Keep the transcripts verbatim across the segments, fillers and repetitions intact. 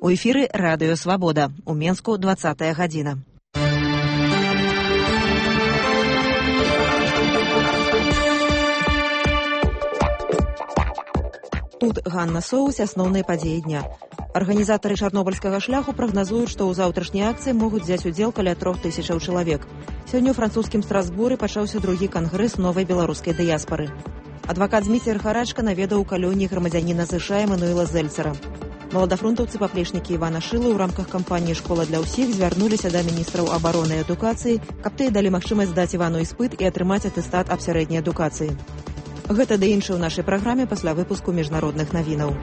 У эфіры радыё «Свабода». У Менску двадцатая гадзіна. Тут Ганна Соус, асноўныя падзеі дня. Арганізатары чарнобыльскага шляху прагназуюць, што ў заўтрашняй акцыі могуць взяць удзел каля трох тысячаў чалавек. Сёння ў французскім Страсбуры пачаўся другі кангрэс новай беларускай дыяспары. Адвакат Зміцер Харачка наведаў у калоніі грамадзяніна США Эмануэла Зельцера. Маладафронтаўцы паплечнікі Івана Шылы ў рамках кампаніі «Школа для ўсіх» звярнуліся да міністраў абароны і адукацыі, каб тыя далі магчымасць здаць Івану іспыт і атрымаць атэстат аб сярэдняй адукацыі. Гэта ды іншае ў нашай праграме пасля выпуску міжнародных навінаў.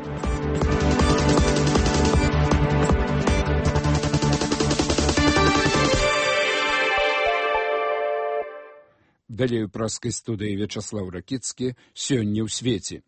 Далей у праскай студыі Вячаслаў Ракіцкі «Сёння ў свеце».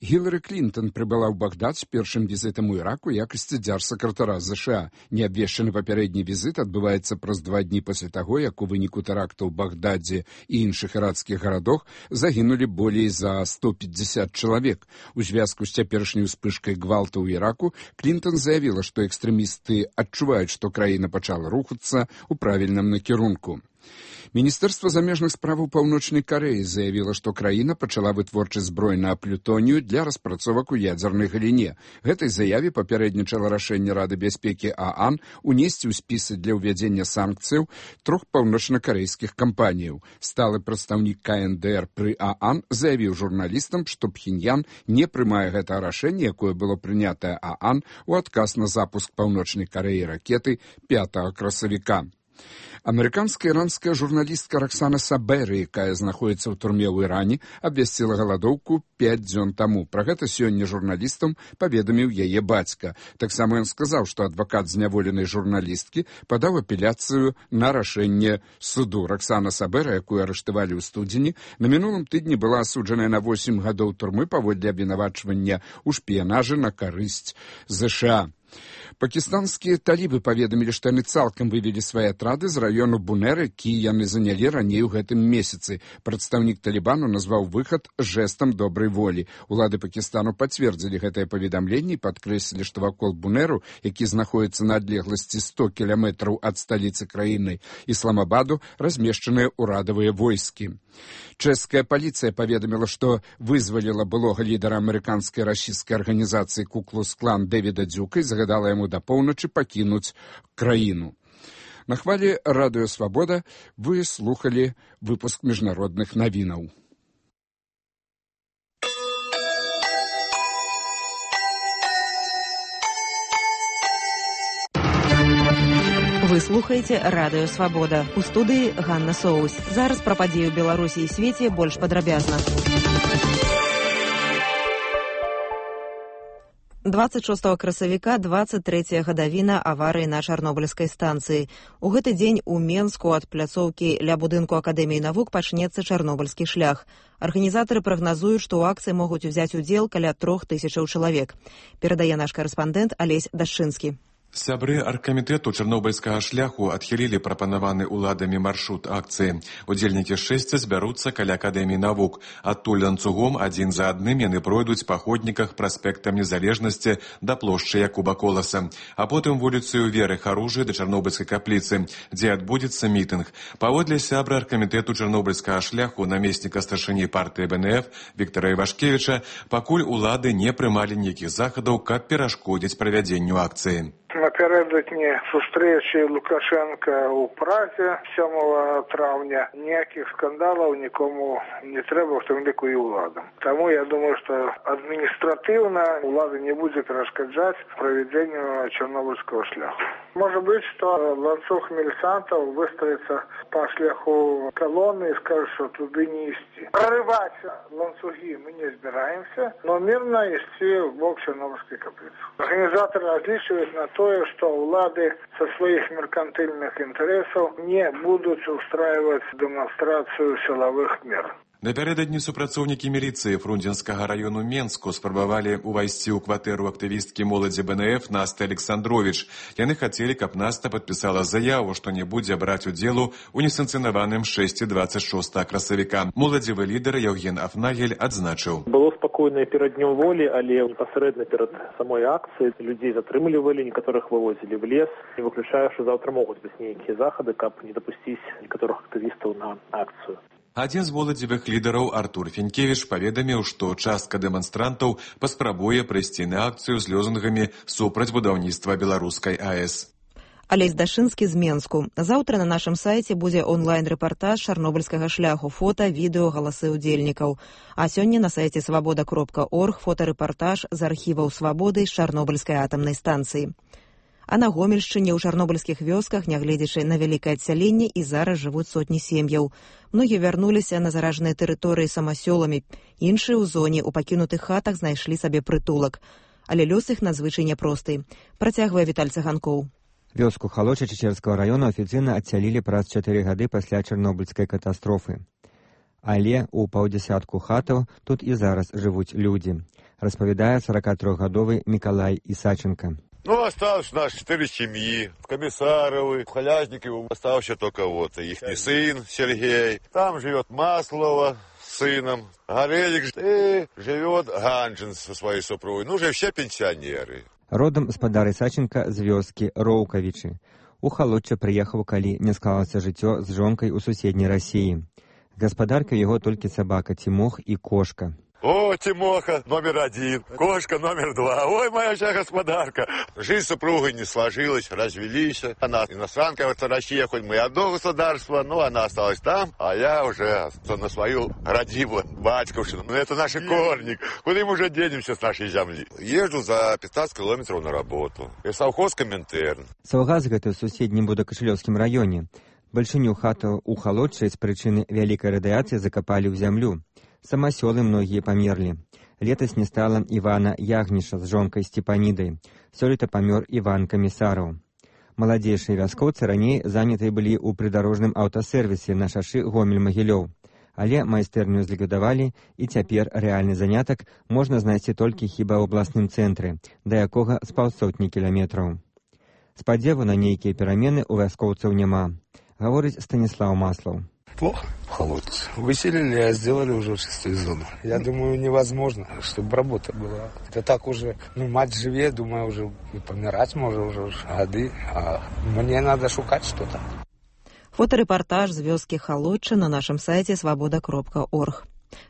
Гілары Клінтон прыбыла ў Багдад з першым візітам у Іраку якасці дзяржсакратара США. Неабвешчаны папярэдні візіт адбываецца праз два дні пасля таго, як у выніку тэрактаў у Багдадзе і іншых іракскіх гарадах загінулі болей за сто пятьдесят чалавек. У звязку з цяперашняй успышкай гвалту ў Іраку Клінтон заявіла, што экстрэмісты адчуваюць, што краіна пачала рухацца ў правільным накірунку. Міністэрства замежных справаў Паўночнай Карэі заявіла, што краіна пачала вытворчасць зброі на плютонію для распрацовак у ядзернай галіне. Гэтай заяве папярэднічала рашэнне Рады бяспекі ААН унесці ў спісы для ўвядзення санкцыяў трох паўночнакарэйскіх кампаніяў. Сталы прадстаўнік КНДР пры ААН заявіў журналістам, што Пхеньян не прымае гэта рашэнне, якое было прынятае ААН у адказ на запуск Паўночнай Карэі ракеты пятага красавіка. Амерыканская іранская журналістка Роксана Сабери, якая знаходзіцца ў турме ў Іране, абвясціла галадоўку пяць дзён таму. Пра гэта сёння журналістам паведаміў яе бацька. Таксама ён сказаў, што адвакат зняволенай журналісткі падаў апеляцыю на рашэнне суду. Роксана Сабери, якую арыштавалі ў студзені, на мінулым тыдні была асуджаная на восем гадоў турмы паводле абвінавачвання ў шпіянажы на карысць ЗША. Пакістанскія талібы паведамілі, што яны цалкам вывелі свае атрады з раёну Бунер, які яны занялі раней у гэтым месяцы. Прадстаўнік талібану назваў выхад жэстам добрай волі. Улады Пакістану пацвердзілі гэтае паведамленне і падкрэслілі, што вакол Бунеру, які знаходіцца на адлегласці сто кіламетраў ад сталіцы краіны Ісламабаду, размешчаныя ўрадавыя войскі. Чэшская паліцыя паведаміла, што вызваліла былога лідара амерыканскай расійскай арганізацыі Ку-клукс-клан Дэвіда Дзюка і загадала яму да поўначы пакінуць краіну. На хвалі радыё «Свабода» вы слухалі выпуск міжнародных навінаў. Вы слухаеце радыё «Свабода». У студыі Ганна Соус. Зараз пра падзеі ў Беларусі і свеце больш падрабязна. дваццаць шостага красавіка дваццаць трэцяя гадавіна аварыі на чарнобыльскай станцыі. У гэты дзень у Менску ад пляцоўкі ля будынку Акадэміі навук пачнецца чарнобыльскі шлях. Арганізатары прагназуюць, што ў акцыі могуць узяць удзел каля трох тысячаў чалавек. Перадае наш карэспандэнт Алесь Дашчынскі. Сябры аргкамітэту чарнобыльскага шляху адхілілі прапанаваны ўладамі маршрут акцыі. Удзельнікі шэсця збяруцца каля Акадэміі навук. Адтуль ланцугом адзін за адным яны пройдуць па ходніках праспектам Незалежнасці да плошчы Якуба Коласа, а потым вуліцаю Веры Харужы да Чарнобыльскай капліцы, дзе адбудзецца мітынг. Паводле сябра аргкамітэту чарнобыльскага шляху намесніка старшыні партыі БНФ Віктара Івашкевіча, пакуль улады не прымалі ніякіх захадаў, каб перашкодзіць правядзенню акцыі. Напередодні зустрічі Лукашенка у Празі сьомого травня ніяких скандалів нікому не треба, в тому ліку і владам. Тому я думаю, що адміністративно влада не буде перешкоджати проведенню Чорнобильського шляху. Може бути, що ланцюг міліцантів вистроїться по шляху колони і скаже, що туди не йти. Проривати ланцюги ми не збираємося, але мирно йти в бок Чорнобильської каплиці. Організатори розлічують на то, что улады со своих меркантильных интересов не будут устраивать демонстрацию силовых мер. Напярэдадні супрацоўнікі міліцыі Фрунзенскага раёну Менску спрабавалі ўвайсці ў кватэру актывісткі моладзі бэ эн эф Насты Александровіч. Яны хацелі, каб Наста падпісала заяву, што не будзе браць удзелу ў несанкцыянаваным шэсці дваццаць шостага красавіка. Моладзевы лідар Яўген Афнагель адзначыў. Было спакойна перад днём волі, але непасрэдна перад самой акцыяй людзей затрымлівалі, некаторых вывозілі в лес. Не выключаю, што заўтра могуць быць нейкія захады, каб не дапусціць некаторых актывістаў на акцыю. Адзін з моладзевых лідараў Артур Фенкевіч паведаміў, што частка дэманстрантаў паспрабуе прыйсці на акцыю з лозунгамі супраць будаўніцтва беларускай АЭС. Алесь Дашынскі з Менску. Заўтра на нашым сайце будзе онлайн-рэпартаж чарнобыльскага шляху, фота, відэо, галасы ўдзельнікаў. А сёння на сайце свабода кропка орг фотарэпартаж з архіваў свабоды з чарнобыльскай атамнай станцыі. А на Гомельшчыне ў чарнобыльскіх вёсках, нягледзячы на вялікае адсяленне, і зараз жывуць сотні сем'яў. Многія вярнуліся на заражаныя тэрыторыі самасёламі. Іншыя ў зоне ў пакінутых хатах знайшлі сабе прытулак. Але лёс іх надзвычай няпросты. Працягвае Віталь Цаганкоў. Вёску Халоча Чечерскага раёна афіцыйна адсялілі праз чатыры гады пасля чарнобыльскай катастрофы. Але ў паўдзясятку хатаў тут і зараз жывуць людзі, распавядае сорокатрохгадовы Мікалай Ісаченко. Ну, осталось у нас четыре семьи, Комиссаровы, Халязниковы, остался только вот их сын Сергей. Там живет Маслова с сыном, Горелик, и живет Ганжин со своей супругой. Ну, уже все пенсионеры. Родом спадар Ісаченка з вёскі Роўкавічы. У Халочча прыехаў, калі не склалася жыццё з жонкай у суседняй Расіі. Гаспадарка яго толькі сабака Тимох і кошка. О, Тимоха номер один, кошка номер два. Ой, моя вся господарка. Жизнь с супругой не сложилась, развелись. Она иностранка, вот Россия, хоть мы одно государство, но она осталась там, а я уже на свою родивую батьковщину. Ну, это наши корни. Куда мы уже денемся с нашей земли? Езжу за пятнадцать километров на работу. И совхоз Коминтерн. Саўгас гэта ў суседнім Будакашылёўскім раёне. Бальшыню хатаў у Халоччы з прычыны вялікай радыяцыі закапалі ў зямлю. Самасёлы многія памерлі. Летась не стала Івана Ягніша з жонкай Степанідай. Сёлета памёр Іван Камісараў. Маладзейшыя вяскоўцы раней занятыя былі ў прыдарожным аўтасервісе на шашы Гомель-Магілёў. Але майстэрню зліквідавалі, і цяпер рэальны занятак можна знайсці толькі хіба ў абласным цэнтры, да якога з паўсотні кіламетраў. Спадзеву на нейкія перамены ў вяскоўцаў няма, гаворыць Станіслаў Маслаў. Плохо в Холодце. Выселили, а сделали уже в шестую зону. Я думаю, невозможно, чтобы работа была. Это так уже, ну, мать живее, думаю, уже и помирать может уже годы. А мне надо шукать что-то. Фотарэпартаж з вёскі Халочча на нашым сайце свабода кропка орг.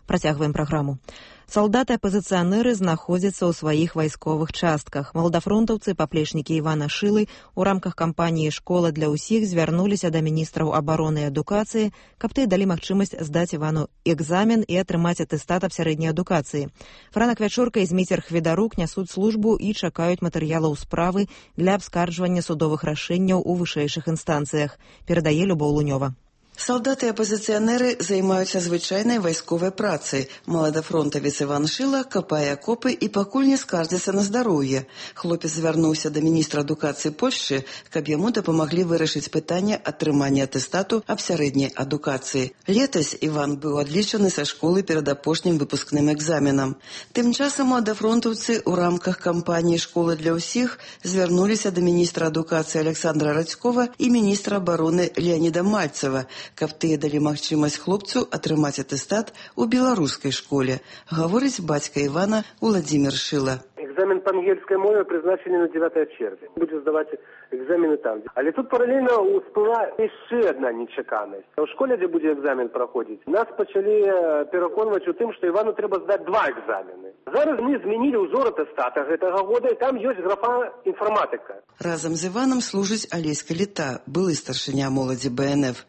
Працягваем праграму. Салдаты-апазіцыянеры знаходзяцца ў сваіх вайсковых частках. Маладафронтаўцы, паплечнікі Івана Шылы у рамках кампаніі «Школа для ўсіх» звярнуліся да міністраў абароны і адукацыі, каб тыя далі магчымасць здаць Івану экзамен і атрымаць атэстат аб сярэдняй адукацыі. Франак Вячорка і Зміцер Хведарук нясуць службу і чакаюць матэрыялаў справы для абскарджвання судовых рашэнняў у вышэйшых інстанцыях, перадае Любоў Лунёва. Салдаты-апазіцыянеры займаюцца звычайнай вайсковай працай. Маладафронтавец Іван Шыла капае акопы і пакуль не скардзіцца на здароўе. Хлопец звярнуўся да міністра адукацыі Польшчы, каб яму дапамаглі вырашыць пытанне атрымання атэстату аб сярэдняй адукацыі. Летась Іван быў адлічаны са школы перад апошнім выпускным экзаменам. Тым часам маладафронтаўцы ў рамках кампаніі «Школа для ўсіх» звярнуліся да міністра адукацыі Александра Радзькова і міністра абароны Леаніда Мальцева, каб тыя далі магчымасць хлопцу атрымаць атэстат у беларускай школе, гаворыць бацька Івана Уладзімір Шыла. Экзамен по ангельской мове призначены на девятое червня. Будем сдавать экзамены там. Але тут параллельно всплыла еще одна нечаканность. В школе, где будет экзамен проходить, нас почали переконувати у тим, що Івану треба здати два екзамени. Зараз ми змінили узор атестата гэтага года, і там есть графа інформатика. Разом з Іваном служить Алесь Каліта, былы старшыня моладзі бэ эн эф.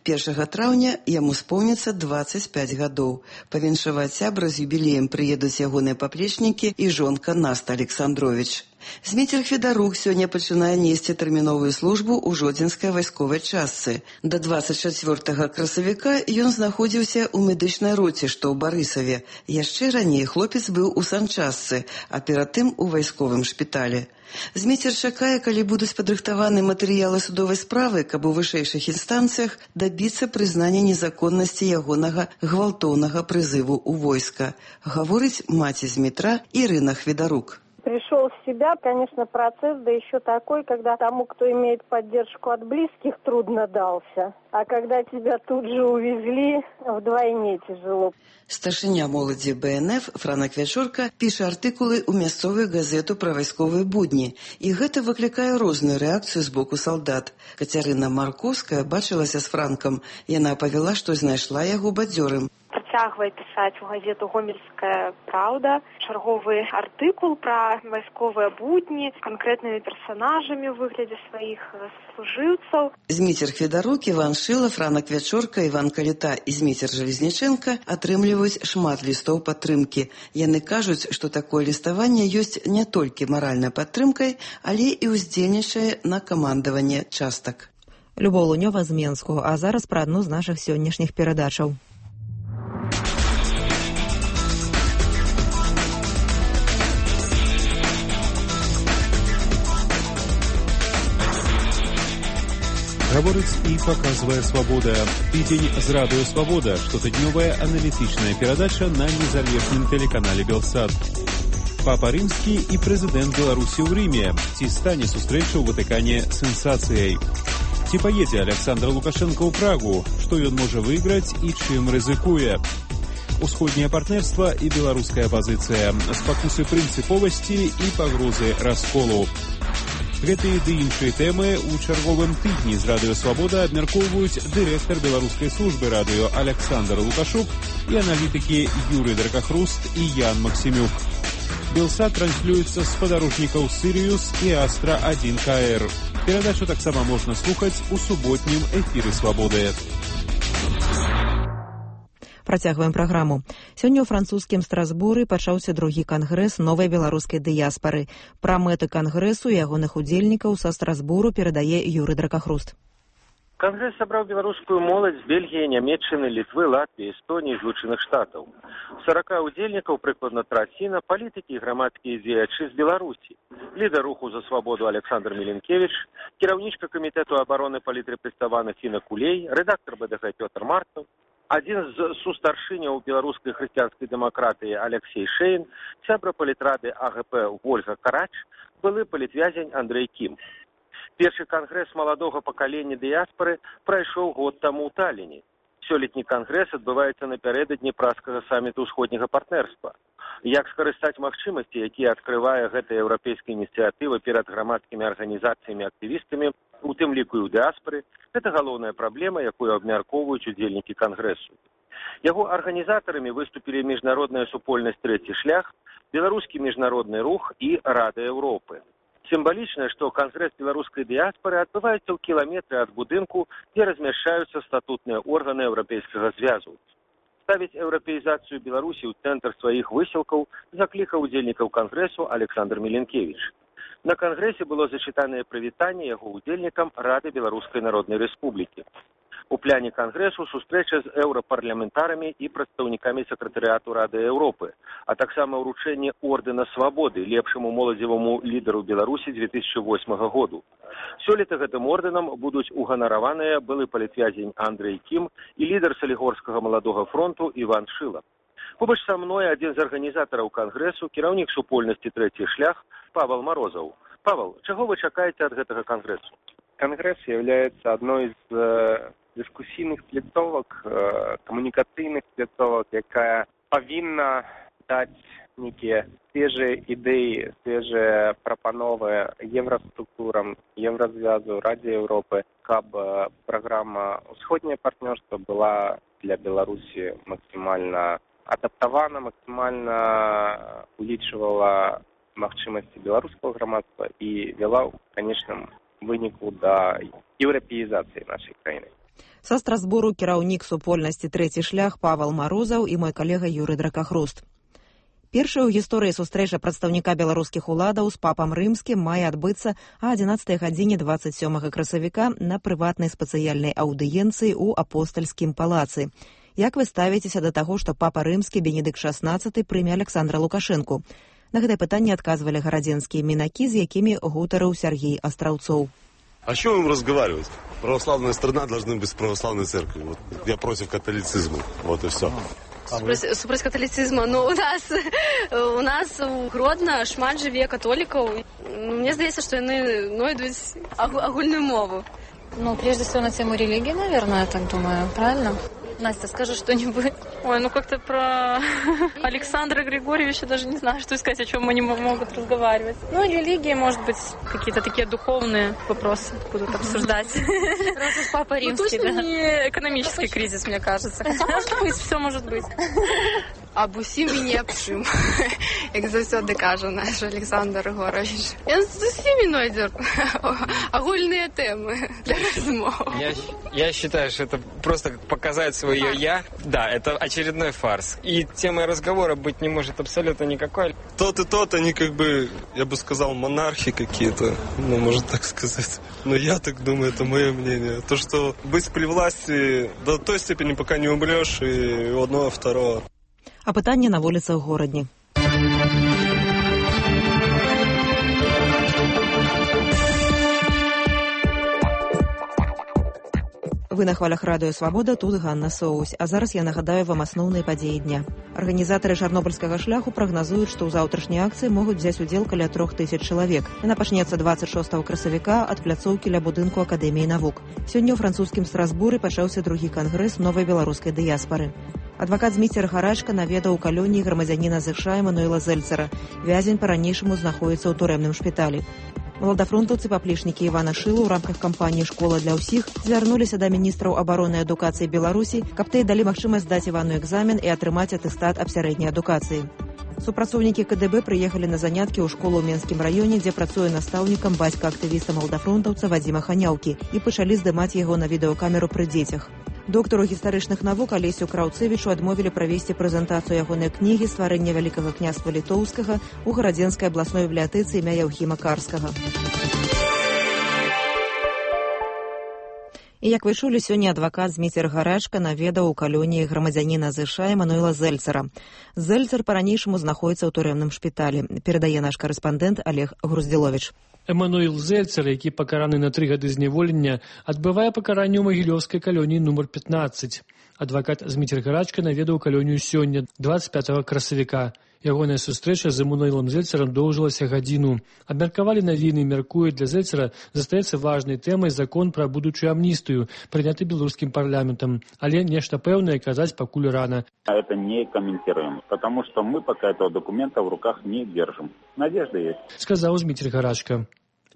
першага траўня яму споўніцца дваццаць пяць гадоў. Павіншаваць сябра з юбілеем прыедуць ягоныя паплечнікі і жонка Наста Александровіч. Зміцер Федарук сёння пачынае несці тэрміновую службу ў жодзінскай вайсковай частцы. Да дваццаць чацвёртага красавіка ён знаходзіўся ў медычнай роце, што ў Барысаве. Яшчэ раней хлопец быў у санчастцы, а перад тым у вайсковым шпіталі. Зміцер чакае, калі будуць падрыхтаваны матэрыялы судовай справы, каб у вышэйшых інстанцыях дабіцца прызнання незаконнасці ягонага гвалтоўнага прызыву ў войска, гаворыць маці Змітра Ірына Хведарук. Пришел в себя, конечно, процесс, да еще такой, когда тому, кто имеет поддержку от близких, трудно дался. А когда тебя тут же увезли, вдвойне тяжело. Старшыня моладзі бэ эн эф Франак Вячорка піша артыкулы ў мясцовую газету пра вайсковыя будні. І гэта выклікае розную рэакцыю з боку салдат. Кацярына Марковская бачылася з Франкам. Яна павяла, што знайшла яго бадзёрым. Працягвае пісаць у газету «Гомельская правда» чарговы артыкул пра вайсковыя будні з канкрэтнымі персанажамі ў выглядзе сваіх служыўцаў. Зміцер Хведарук, Іван Шыла, Франак Вячорка, Іван Каліта і Зміцер Жалезніченка атрымліваюць шмат лістоў падтрымкі. Яны кажуць, што такое ліставанне ёсць не толькі маральнай падтрымкай, але і ўздзейнічае на камандаванне частак. Любоў Лунёва з Менску, а зараз пра адну з нашых сённяшніх перадачаў. Гаворыць і паказвае «Свабода». Тыдзень з радыё «Свабода», штотыднёвая аналітычная перадача на незалежным тэлеканале «Белсат». Папа Рымскі і прэзідэнт Беларусі ў Рыме. Ці стане сустрэча ў Ватыкане сенсацыяй? Ці паедзе Александр Лукашенко ў Прагу? Што ён можа выйграць і чым рызыкуе? Усходняе партнерства і беларуская пазіцыя. Спакусы прынцыповасці і пагрозы расколу. Гэтыя ды іншыя тэмы ў чарговым тыдні з радыё «Свабода» абмяркоўваюць дырэктар беларускай службы радыё Александр Лукашук і аналітыкі Юрый Дракахруст і Ян Максімюк. Белсат транслюецца з спадарожнікаў «Сірыюс» і «Астра один ка эр». Перадачу таксама можна слухаць у суботнім эфіры «Свабоды». Працягваем праграму. Сёння ў французскім Страсбуры пачаўся другі кангрэс новай беларускай дыяспары. Пра мэты кангрэсу і ягоных удзельнікаў са Страсбуру перадае Юры Дракахруст. Кангрэс сабраў беларускую моладзь з Бельгіі, Нямецчыны, Літвы, Латвіі, Эстоніі, Злучаных Штатаў. сорока удзельнікаў, прыкладна траціна, палітыкі і грамадскія дзеячы з Беларусі. Лідар руху за свабоду Александр Міленкевіч, кіраўнічка камітэту абароны палітрепрэставаных Інна Кулей, рэдактар бэ дэ гэ Пётр Марцаў, адзін з сустаршыняў беларускай хрысціянскай дэмакратыі Алексей Шейн, сябра палітрады а гэ пэ Вольга Карач, былы палітвязень Андрэй Кім. Першы кангрэс маладога пакалення дыяспары прайшоў год таму ў Талліне. Сёлетні кангрэс адбываецца напярэдадні празкага саміту ўсходняга партнерства. Як скарыстаць магчымасці, якія адкрывае гэтая еўрапейская ініцыятыва перад грамадскімі арганізацыямі і актывістамі, у тым ліку і ў дыаспары, гэта галоўная праблема, якую абмяркоўваюць удзельнікі кангрэсу. Яго арганізатарамі выступілі міжнародная супольнасць «Трэці шлях», беларускі міжнародны рух і Рада Еўропы. Сімвалічна, што кангрэс беларускай дыяспары адбываецца ў кіламетры ад будынку, дзе размяшчаюцца статутныя органы Еўрапейскага звязу. Ставіць еўрапеізацыю Беларусі ў цэнтр сваіх высілкаў заклікаў удзельнікаў кангрэсу Александр Міленкевіч. На кангрэсе было зачытанае прывітанне яго удзельнікам Рады Беларускай Народнай Рэспублікі. У пляне кангрэсу сустрэча з еўрапарламентарамі і прадстаўнікамі сакратарыяту Рады Еўропы, а таксама ўручэнне ордэна свабоды лепшаму моладзеваму лідару Беларусі две тысячи восьмага году. Сёлета гэтым ордэнам будуць уганараваныя былы палітвязень Андрэй Кім і лідар Салігорскага маладога фронту Іван Шыла. Побач са мной адзін з арганізатараў кангрэсу, кіраўнік супольнасці «Трэці шлях» Павел Морозов. Павел, чаго вы чакаеце ад гэтага кангрэсу? Конгресс является одной из э, дискуссийных плитовок, э, коммуникацийных плитовок, якая повинна дать некие свежие идеи, свежие пропановы евроструктурам, Еврозвязу, Раде Европы, каб программа «Усходнее партнерство» была для Беларуси максимально адаптована, максимально увеличивала магчымасці беларускага грамадства і вела ў канечным выніку да еўрапеізацыі нашай краіны. Са Страсбуру кіраўнік супольнасці «Трэці шлях» Павел Морозов і мой калега Юрый Дракахруст. Першая ў гісторыі сустрэча прадстаўніка беларускіх уладаў з папам рымскім мае адбыцца а адзінаццатай гадзіне дваццаць сёмага красавіка на прыватнай спецыяльнай аўдыенцыі ў апостальскім палацы. Як вы ставіцеся да таго, што папа рымскі Бенедыкт шаснаццаты прыме Александра Лукашэнку? На гэтае пытанне адказвалі гарадзенскія мінакі, з якімі гутарыў Сергей Астраўцоў. О чем им разговаривать? Православная страна должна быть с православной церковью. Вот. Я против католицизма. Вот и все. Супраць каталіцызма. Ну, у нас у нас у Гродно шмат жыве католікаў. Мне здаецца, што яны знойдуць агульную мову. Ну, прежде всего на тему религии, наверное, я так думаю, правильно? Настя, скажи что-нибудь. Ой, ну как-то про Александра Григорьевича даже не знаю, что сказать, о чем они могут разговаривать. Ну, религии, может быть, какие-то такие духовные вопросы будут обсуждать. Раз уж папа римский, да? Не экономический кризис, мне кажется. Хотя, может быть, все может быть. Аб усім і не аб чым, як заўсёды кажа наш Александр Григорьевич. Ён з усімі знойдзе агульныя тэмы для размов. Я, я считаю, что это просто показать свое «я». Да, это очередной фарс. И темой разговора быть не может абсолютно никакой. Тот и тот, они как бы, я бы сказал, монархи какие-то, ну, можно так сказать. Но я так думаю, это мое мнение. То, что быть при власти до той степени, пока не умрешь, и у одного, второго. А пытанне на вуліцах горадні. Вы на хвалях радыё «Свабода», тут Ганна Соусь. А зараз я нагадаю вам асноўныя падзеі дня. Арганізатары чарнобыльскага шляху прагназуюць, што ў заўтрашняй акцыі могуць взяць удзел каля трох тысяч чалавек. Яна пачнецца дваццаць шостага красавіка ад пляцоўкі ля будынку Акадэміі навук. Сёння ў французскім Страсбуры пачаўся другі кангрэс новай беларускай дыяспары. Адвакат Зміцер Гарачка наведаў у калоніі грамадзяніна ЗША Эмануэла Зельцера. Вязень па-ранейшаму знаходзіцца ў турэмным шпіталі. Маладафронтаўцы паплечнікі Івана Шылу ў рамках кампаніі «Школа для ўсіх» звярнуліся да міністраў абароны і адукацыі Беларусі, каб тыя далі магчымасць здаць Івану экзамен і атрымаць атэстат аб сярэдняй адукацыі. Супрацоўнікі КДБ прыехалі на заняткі ў школу ў Менскім раёне, дзе працуе настаўнікам бацька актывіста маладафронтаўца Вадзіма Ханяўкі, і пачалі здымаць яго на відэакамеру пры дзецях. Доктару гістарычных навук Алесю Краўцевічу адмовілі правесці прэзентацыю ягонай кнігі «Стварэнне вялікага княства літоўскага» у гарадзенскай абласной бібліятэцы імя Яўхіма Карскага. І, як вы чулі, сёння адвакат Зміцер Гарачка наведаў у калоніі грамадзяніна ЗША Эмануэла Зельцера. Зельцер па-ранейшаму знаходзіцца ў турэмным шпіталі, перадае наш карэспандэнт Олег Груздзіловіч. Эмануэл Зельцер, які пакараны на тры гады зняволення, адбывае пакаранне ў магілёўскай калоніі нумар пятнаццаць. Адвакат Зміцер Гарачка наведаў калонію сёння, дваццаць пятага красавіка. Ягоная сустрэча з Эмануэлам Зельцерам доўжылася гадзіну. Абмеркавалі навіны, мяркуюць, для Зельцера застаецца важнай тэмай закон пра будучую амністыю, прыняты беларускім парламентам. Але нешта пэўнае казаць пакуль рана. Это не комментируем, потому что мы пока этого документа в руках не держим. Надежда есть. Сказаў Зміцер Гарачка.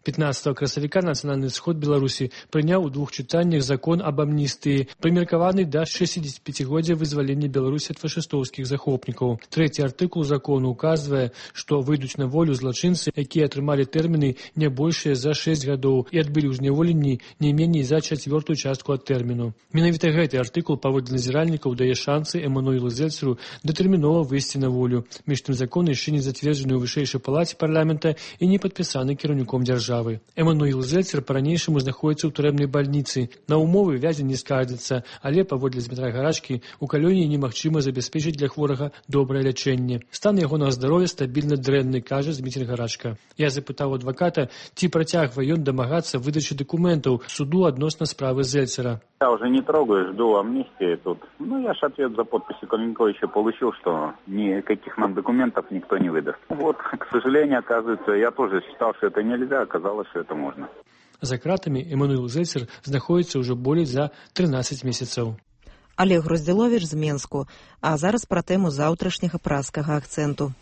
пятнаццатага красавіка Нацыянальны сход Беларусі прыняў у двух чытаннях закон аб амністыі, прымеркаваны да шэсцідзесяціпяцігоддзя вызвалення Беларусі ад фашыстоўскіх захопнікаў. Трэці артыкул закону указвае, што выйдуць на волю злачынцы, якія атрымалі тэрміны не большыя за шэсць гадоў і адбылі ў зняволенні не меней за чацвёртую частку ад тэрміну. Менавіта гэты артыкул паводле назіральнікаў дае шансы Эмануэлу Зельцеру датэрмінова выйсці на волю. Між тым закон яшчэ не зацверджаны ў вышэйшай палаце парламента і не падпісаны кіраўніком дзяржавы. Эмануэл Зельцер па-ранейшаму знаходзіцца ў турэмнай бальніцы. На умовы вязень не скардзіцца, але, паводле Змітра Гарачкі, у калоніі немагчыма забяспечыць для хворага добрае лячэнне. Стан ягонага здароўя стабільна дрэнны, кажа Змітр Гарачка. Я запытаў адваката, ці працягвае ён дамагацца выдачы дакументаў суду адносна справы Зельцера. Я уже не трогаю, жду амнистии тут. Ну, я ж ответ за подписью Калинковича получил, что никаких нам документов никто не выдаст. Вот, к сожалению, оказывается, я тоже считал, что это нельзя, оказалось, что это можно. За кратамі Эмануэл Зельцер знаходзіцца ўжо болей за трынаццаць месяцаў. Олег Груздзіловіч з Менску. А зараз пра тэму заўтрашняга праскага акцэнту.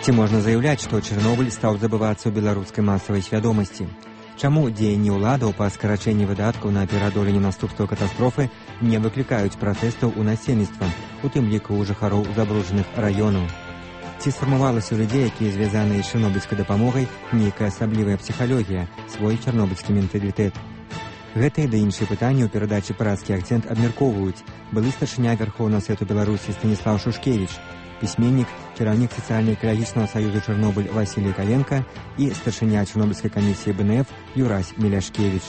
Ці можна заяўляць, што Чарнобыль стаў забывацца ў беларускай масавай свядомасці? Чаму дзеянні ўладаў па скарачэнні выдаткаў на пераадоленне наступстваў катастрофы не выклікаюць пратэстаў у насельніцтва, у тым ліку ў жыхароў забруджаных раёнаў? Ці сфармавалася ў людзей, якія звязаныя з чарнобыльскай дапамогай, нейкая асаблівая псіхалогія, свой чарнобыльскі менталітэт? Гэтыя да іншыя пытанні ў перадачы «Прадскі акцэнт» абмяркоўваюць былы старшыня Вярхоўнага Савету Беларусі Станіслаў Шушкевіч, пісьменнік, кіраўнік сацыяльна-экалагічнага саюзу «Чарнобыль» Васілій Каенка і старшыня Чарнобыльскай камісіі бэ эн эф Юрась Міляшкевіч.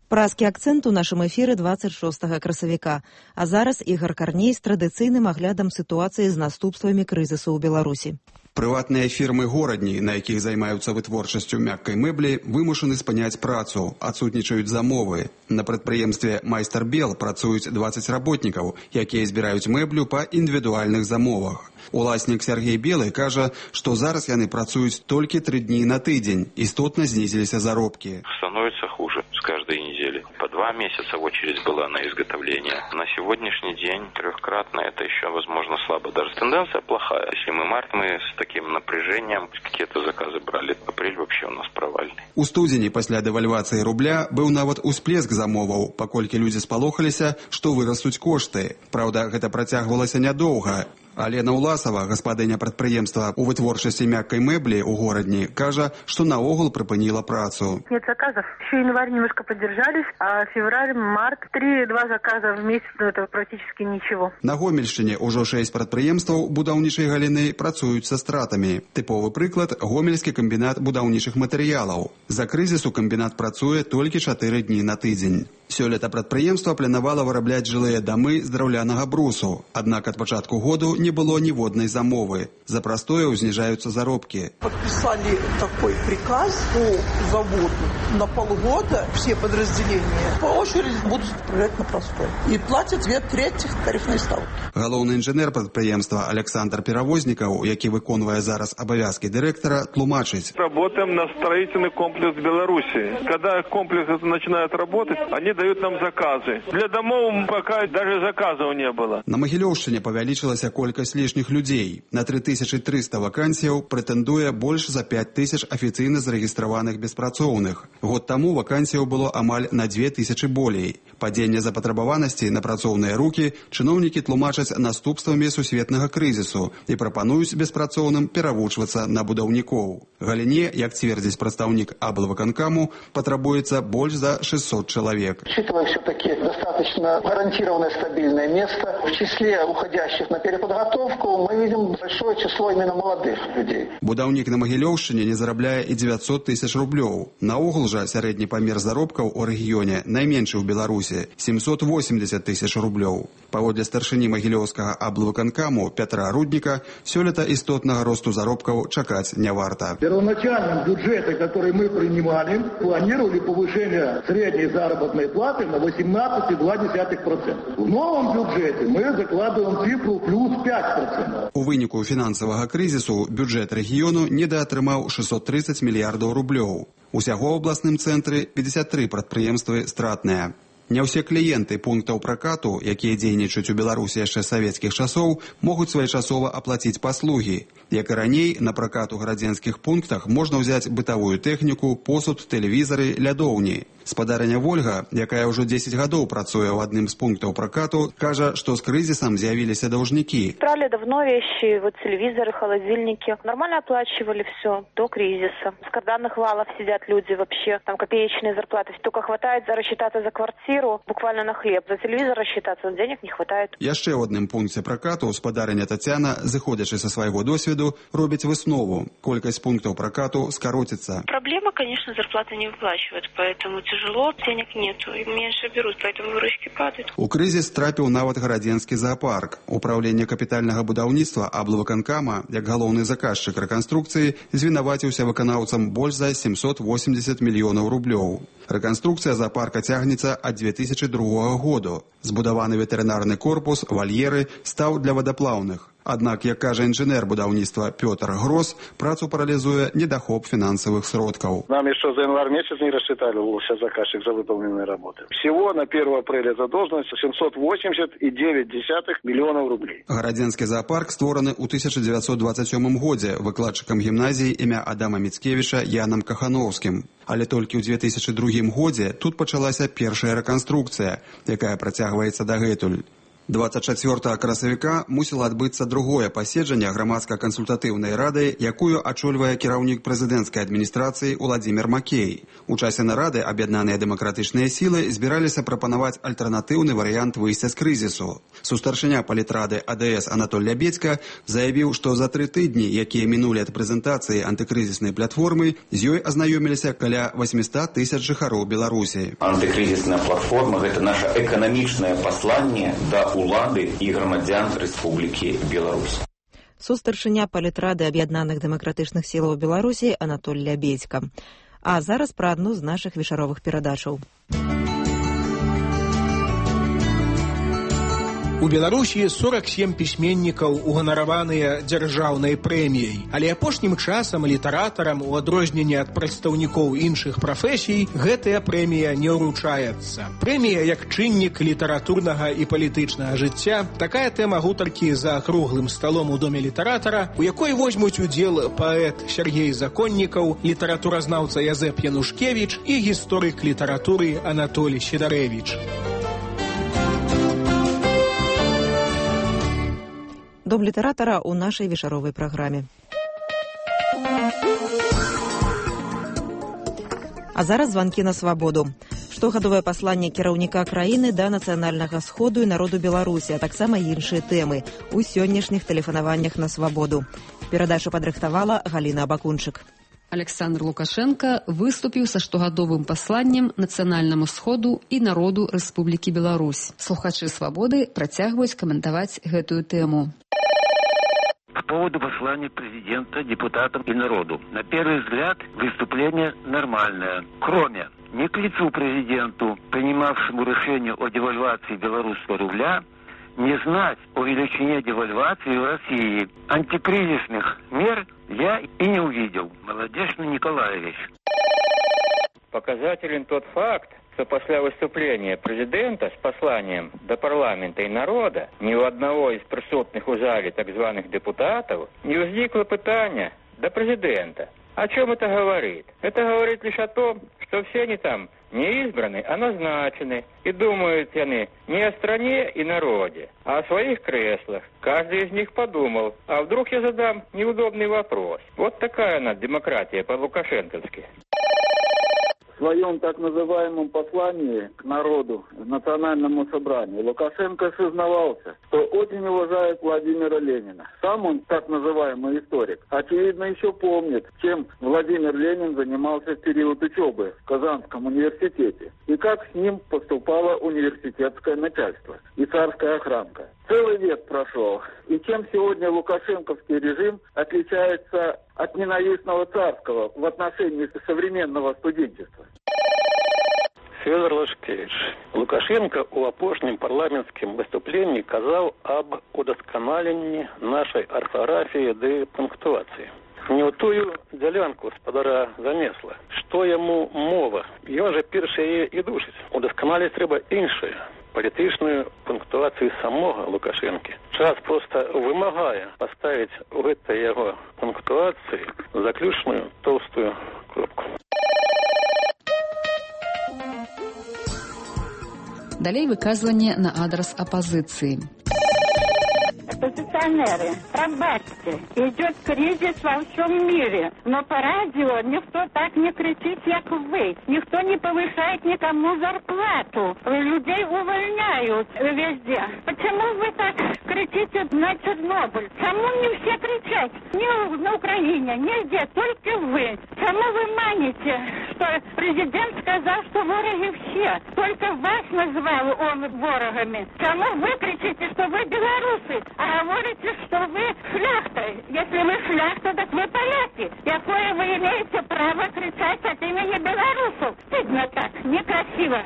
Празкі акцэнт у нашым эфіры дваццаць шостага красавіка. А зараз Ігар Карней з традыцыйным аглядам сітуацыі з наступствамі крызісу ў Беларусі. Прыватныя фірмы-горадні, на якіх займаюцца вытворчасцю мяккай мэблі, вымушаны спыняць працу, адсутнічаюць замовы. На прадпрыемстве «Майстар Бел» працуюць дваццаць работнікаў, якія збіраюць мэблю па індывідуальных замовах. Уласнік Сергей Белый кажа, што зараз яны працуюць толькі тры дні на тыдзень, істотна знізіліся заробкі. Становится хуже с каждой недели. По два месяца очередь была на изготовление. На сегодняшний день трехкратно это еще, возможно, слабо. Даже тенденция плохая. Если мы март, мы с таким напряжением какие-то заказы брали. Апрель вообще у нас провальный. У студзені пасля дэвальвацыі рубля быў нават усплеск замоваў, паколькі людзі спалохаліся, што вырастуць кошты. Праўда, гэта працягвалася нядоўга. Алена Уласова, гаспадыня прадпрыемства ў вытворчасці мяккай мэблі ў горадні, кажа, што наогул прыпыніла працу. Нет заказов. Еще январь немножко поддержались, а февраль, март, три-два заказа в месяц, ну это практически ничего. На Гомельшчыне ўжо шэсць прадпрыемстваў будаўнічай галіны працуюць са стратамі. Тыповы прыклад – Гомельскі камбінат будаўнічых матэрыялаў. За крызісу камбінат працуе толькі чатыры дні на тыдзень. Сёлета прадпрыемства планавала вырабляць жылыя дамы з драўлянага брусу, аднак ад пачатку году не было ніводнай замовы. За прастое зніжаюцца заробкі. Подписали такой приказ по заводу. На полгода все подразделения по очереди будут отправлять на простой. И платят две трети тарифной ставки. Галоўны інжынер прадпрыемства Александр Перавознікаў, які выконвае зараз абавязкі дырэктара, тлумачыць. Работаем на строительный комплекс Беларуси. Когда комплекс начинает работать, они дают нам заказы. Для домов пока даже заказов не было. На Магілёўшчыне павялічылася колькасць лішніх людзей. На тры тысячы трыста вакансіяў прэтэндуе больш за пяць тысяч афіцыйна зарэгістраваных беспрацоўных. Год таму вакансіяў было амаль на дзве тысячы болей. Падзенне запатрабаванасці на працоўныя рукі чыноўнікі тлумачаць наступствамі сусветнага крызісу і прапануюць беспрацоўным перавучвацца на будаўнікоў. Галіне, як цвердзіць прадстаўнік аблвыканкаму, патрабуецца больш за шестьсот человек. Учитывая все-таки достаточно гарантированное стабильное место, в числе уходящих на переподготовку мы видим большое число именно молодых людей. Будаўнік на Магілёўшчыне не зарабляе і девятьсот тысяч рублёў. Наогул жа сярэдні памер заробкаў у рэгіёне найменшы ў Беларусі – семьсот восемьдесят тысяч рублёў. Паводле старшыні Магілёўскага аблвыканкаму Пятра Рудніка, сёлета істотнага росту заробкаў чакаць не варта. В первоначальном бюджете, который мы принимали, планировали повышение средней заработной платы на восемнадцать целых два десятых процента. В новом бюджете мы закладываем цифру плюс пять процентов. У выніку фінансавага крызісу бюджэт рэгіёну недаатрымаў шестьсот тридцать мільярдаў рублёў. Усяго ў абласным цэнтры пятьдесят три прадпрыемствы стратныя. Не ўсе кліенты пунктаў пракату, якія дзейнічаюць у Беларусі яшчэ з савецкіх часоў, могуць своечасова аплаціць паслугі. Як і раней, на пракат у гарадзенскіх пунктах можна ўзяць бытавую тэхніку, посуд, тэлевізары, лядоўні. Спадарыня Вольга, якая ўжо дзесяць гадоў працуе ў адным з пунктаў пракату, кажа, што з крызісам з'явіліся даўжнікі. Брали давно вещи, вот телевизоры, холодильники. Нормально оплачивали все до кризиса. С карданных валов сидят люди вообще, там копеечные зарплаты. Только хватает рассчитаться за квартиру, буквально на хлеб. За телевизор рассчитаться, денег не хватает. Яшчэ ў адным пункце пракату спадарыня Тацяна, зыходзячы са свайго досведу, робіць выснову. Колькасць пунктаў пракату скароціцца. Проблема, конечно, зарплаты не выплачивают, поэтому тяжело, денег нету, и меньше берут, поэтому выручки падают. У крызіс трапіў нават гарадзенскі зоопарк. Управленне капітальнага будаўніцтва аблвыканкама, як галоўны заказчык рэканструкцыі, звінаваціўся выканаўцам больш за семьсот восемьдесят мільёнаў рублёў. Рэканструкцыя зоопарка цягнецца ад две тысячи другога году. Збудаваны ветэрынарны корпус, вальеры, стаў для вадаплаўных. Аднак, як кажа інжынер будаўніцтва Пётр Грос, працу паралізуе недахоп фінансавых сродкаў. Нам еще за январь месяц не рассчитали сейчас заказчик за выполненные работы. Всего на первое апреля задолженность семьсот восемьдесят девять миллионов рублей. Гарадзенскі зоопарк створаны ў тысяча дзевяцьсот двадцать сёмым годзе выкладчыкам гімназіі імя Адама Міцкевіча Янам Кахановскім. Але толькі ў две тысячи другім годзе тут пачалася першая рэканструкцыя, якая працягваецца дагэтуль. двадцать чацвёртага красавіка мусіла адбыцца другое паседжанне грамадска-кансультатыўнай рады, якую ачольвае кіраўнік прэзідэнцкай адміністрацыі Уладзімір Макей. У часе нарады аб'яднаныя дэмакратычныя сілы збіраліся прапанаваць альтэрнатыўны варыянт выйсця з крызісу. Сустаршыня палітрады А Дэ Эс Анатоль Лябедзька заявіў, што за тры тыдні, якія мінулі ад прэзентацыі антыкрызіснай платформы, з ёй азнаёміліся каля восемьсот тысяч жыхароў Беларусі. Антыкрызісная платформа – гэта наша эканамічнае пасланне да улады і грамадзян Рэспублікі Беларусь. Сустаршыня палітрады аб'яднаных дэмакратычных сілаў Беларусі Анатоль Лябедзька. А зараз пра адну з нашых вечаровых перадачаў. У Беларусі сорок сем пісьменнікаў уганараваныя дзяржаўнай прэміяй, але апошнім часам літаратарам, у адрозненне ад прадстаўнікоў іншых прафесій, гэтая прэмія не ўручаецца. Прэмія як чыннік літаратурнага і палітычнага жыцця, такая тэма гутаркі за круглым сталом у доме літаратара, у якой возьмуць удзел паэт Сергей Законнікаў, літаратуразнаўца Язэп Янушкевіч і гісторык літаратуры Анатолій Сідарэвіч. Дом літаратара ў нашай вечаровай праграме. А зараз званкі на свабоду. Штогадовае пасланне кіраўніка краіны да нацыянальнага сходу і народу Беларусі, а таксама іншыя тэмы ў сённяшніх тэлефанаваннях на свабоду. Перадачу падрыхтавала Галіна Абакунчык. Александр Лукашенко выступіў са штогадовым пасланнем нацыянальнаму сходу і народу Рэспублікі Беларусь. Слухачы свабоды працягваюць каментаваць гэтую тэму. По поводу послания президента, депутатам и народу. На первый взгляд, выступление нормальное. Кроме, не к лицу президенту, принимавшему решение о девальвации белорусского рубля, не знать о величине девальвации в России. Антикризисных мер я и не увидел. Молодечный Николаевич. Показателен тот факт, что после выступления президента с посланием до парламента и народа ни у одного из присутных у зале так званых депутатов не возникло питания до президента. О чем это говорит? Это говорит лишь о том, что все они там не избраны, а назначены. И думают они не о стране и народе, а о своих креслах. Каждый из них подумал, а вдруг я задам неудобный вопрос. Вот такая она демократия по-лукашенковски. В своем так называемом послании к народу, национальному собранию, Лукашенко сознавался, что очень уважает Владимира Ленина. Сам он, так называемый историк, очевидно еще помнит, чем Владимир Ленин занимался в период учебы в Казанском университете и как с ним поступало университетское начальство и царская охранка. Целый век прошел, и чем сегодня лукашенковский режим отличается от ненавистного царского в отношении современного студенчества? Федор Лашкевич. Лукашенко у апошнім парламенцкім выступленні казаў аб удасканаленні нашай арфаграфіі ды пунктуацыі. Не ў тую дзялянку спадара занесла. Што яму мова? Ён жа першы яе і душыць. Удасканаліць трэба іншае. Палітычную пунктуацыю самога Лукашэнкі. Час проста вымагае паставіць у гэтай яго пунктуацыі заключную тоўстую кропку. Далей выказванне на адрес апозиции. Оппозиционеры, пробачьте, идет кризис во всем мире, но по радио никто так не кричит, как вы. Никто не повышает никому зарплату. Людей увольняют везде. Почему вы так кричите на Чернобыль? Чему не все кричат? Не на Украине, нигде, только вы. Чему вы маните, что президент сказал, что вороги все? Только вас назвал он ворогами. Чему вы кричите, что вы белорусы? А говорите, что вы шляхта. Если вы шляхта, так вы поляки. Какое вы имеете право кричать от имени белорусов? Стыдно так, некрасиво.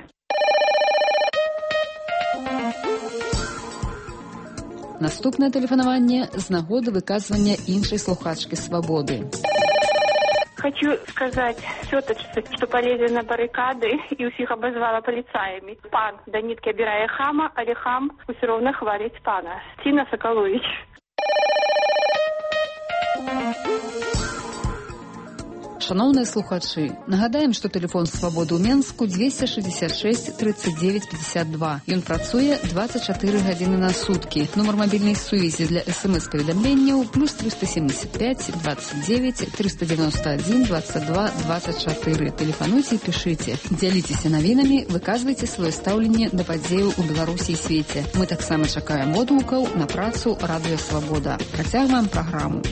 Наступне тэлефанаванне з нагоды выказвання іншай слухачкі свабоды. Хочу сказать все-таки, что полезли на баррикады и усіх обозвала полицаями. Пан до нитки обирая хама, але хам все равно хвалить пана. Тина Соколович. Шановныя слухачы, нагадаем, што тэлефон Свабоды ў Менску двести шестьдесят шесть тридцать девять пятьдесят два. Ён працуе двадцать четыре гадзіны на суткі. Нумар мабільнай сувязі для эс эм эс-паведамленняў плюс триста семьдесят пять двадцать девять триста девяносто один двадцать два двадцать четыре. Тэлефануйце і пішыце. Дзяліцеся навінамі, выказвайце сваё стаўленне да падзеяў у Беларусі і свеце. Мы таксама чакаем водгукаў на працу Радыё Свабода. Працягваем праграму.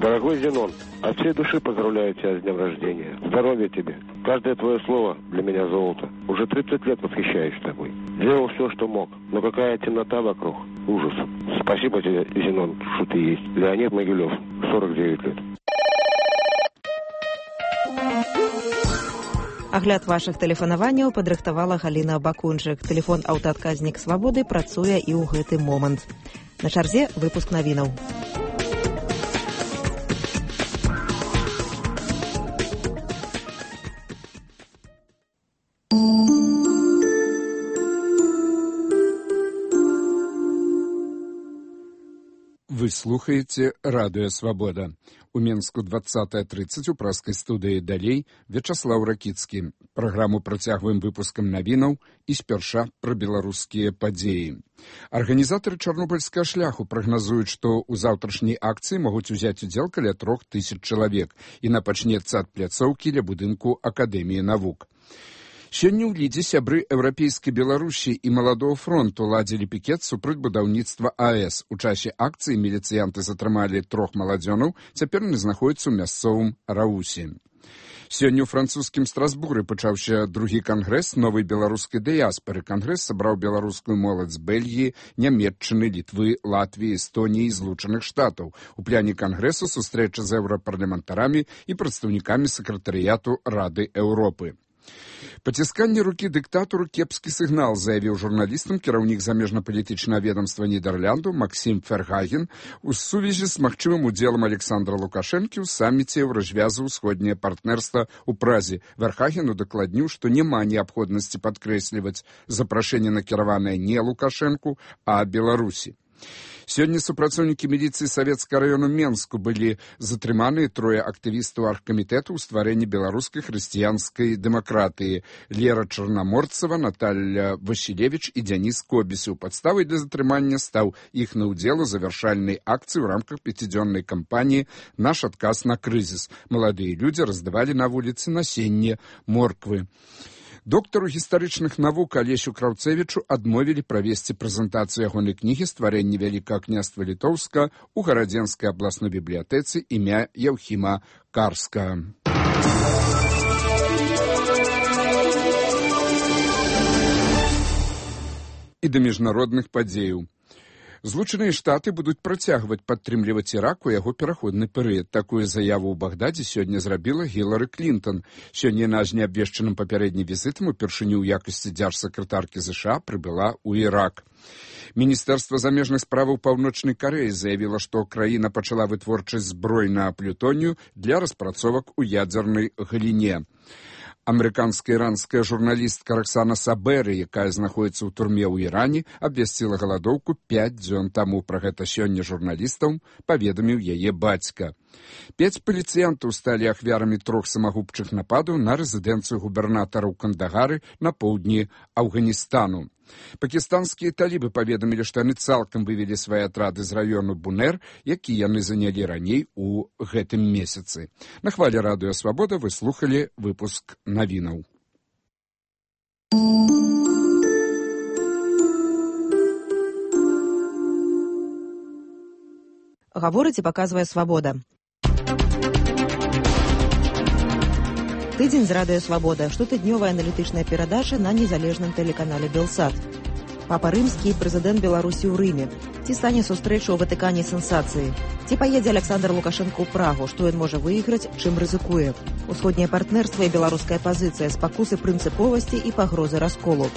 Дорогой Зенон, от всей души поздравляю тебя с днем рождения. Здоровья тебе. Каждое твое слово для меня золото. Уже тридцать лет восхищаюсь тобой. Делал все, что мог. Но какая темнота вокруг. Ужас. Спасибо тебе, Зенон, что ты есть. Леонид Могилев, сорок девять лет. Агляд вашых тэлефанаванняў падрыхтавала Галіна Бакунчык. Тэлефон аўтаадказнік Свабоды працуе і ў гэты момант. На чарзе выпуск навінаў. Вы слухаете Радыё Свабода. У Менску двадцатая тридцать у праскай студыі далей Вячаслаў Ракіцкі. Праграму працягваем выпускам навінаў і спярша пра беларускія падзеі. Арганізатары чарнобыльскага шляху прагназуюць, што ў заўтрашняй акцыі могуць узяць удзел каля трох тысяч чалавек і напачнецца ад пляцоўкі ля будынку Акадэміі навук. Сёння ў Лідзе сябры еўрапейскай Беларусі і Маладога фронту ладзілі пікет супраць будаўніцтва АЭС. У часе акцыі міліцыянты затрымалі трох маладзёнаў, цяпер яны знаходзяцца ў мясцовым Раусе. Сёння ў французскім Страсбуры пачаўся другі кангрэс новай беларускай дыяспары. Кангрэс сабраў беларускую моладзь з Бельгіі, Нямецчыны, Літвы, Латвіі, Эстоніі і Злучаных Штатаў. У пляне кангрэсу сустрэча з еўрапарламентарамі і прадстаўнікамі сакратарыяту Рады Еўропы. Пацісканне рукі дыктатару кепскі сігнал, заявіў журналістам кіраўнік замежна-палітычнага ведомства Нідерланду Максім Фергаген у сувязі з магчымым удзелам Александра Лукашэнкі ў саміце Еўразвязу ўсходняе партнерства ў Празе. Фергагену дакладніў, што няма неабходнасці падкрэсліваць запрашэнне накіраванае не Лукашэнку, а Беларусі. Сёння супрацоўнікі міліцыі Савецкага раёну Менску былі затрыманыя трое актывістаў аргкамітэту ў стварэнні беларускай хрысціянскай дэмакратыі. Лера Чарнаморцава, Наталья Васілевіч і Дзяніс Кобісаў. Падставай для затрымання стаў іхны ўдзел у завяршальнай акцыі ў рамках пяцідзённай кампаніі «Наш адказ на крызіс». Маладыя людзі раздавалі на вуліцы насенне морквы. Доктару гістарычных навук Алесю Краўцевічу адмовілі правесці прэзентацыю ягонай кнігі «Стварэнне Вялікага княства Літоўска» у Гарадзенскай абласной бібліятэцы імя Яўхіма Карска. І да міжнародных падзеяў. Злучаныя Штаты будуць працягваць падтрымліваць Ірак у яго пераходны перыяд. Такую заяву ў Багдадзе сёння зрабіла Гілары Клінтон. Сёння яна з неабвешчаным папярэднім візітам упершыню ў якасці дзяржсакратаркі ЗША прыбыла ў Ірак. Міністэрства замежных справаў Паўночнай Карэі заявіла, што краіна пачала вытворчасць зброй на плютонію для распрацовак у ядзернай галіне. Амерыканска-іранская журналістка Роксана Сабэры, якая знаходзіцца ў турме ў Іране, абвясціла галадоўку пяць дзён таму. Пра гэта сёння журналістам паведаміў яе бацька. Пяць паліцыянтаў сталі ахвярамі трох самагубчых нападаў на рэзідэнцыю губернатара ў Кандагары на поўдні Афганістану. Пакістанскія талібы паведамілі, што яны цалкам вывелі свае атрады з раёну Бунер, які яны занялі раней у гэтым месяцы. На хвале Радыё Свабода вы слухалі выпуск навінаў. Гаворыць і паказвае Свабода. Тыдзень з Радыё Свабода. Штотыднёвая аналітычная перадача на незалежным тэлеканале Белсат. Папа Рымскі і прэзідэнт Беларусі ў Рыме. Ці стане сустрэча ў Ватыкане сенсацыі? Ці паедзе Александр Лукашенко ў Прагу? Што ён можа выйграць, чым рызыкуе? Усходняе партнерства і беларуская пазіцыя, спакусы прынцыповасці і пагрозы расколу.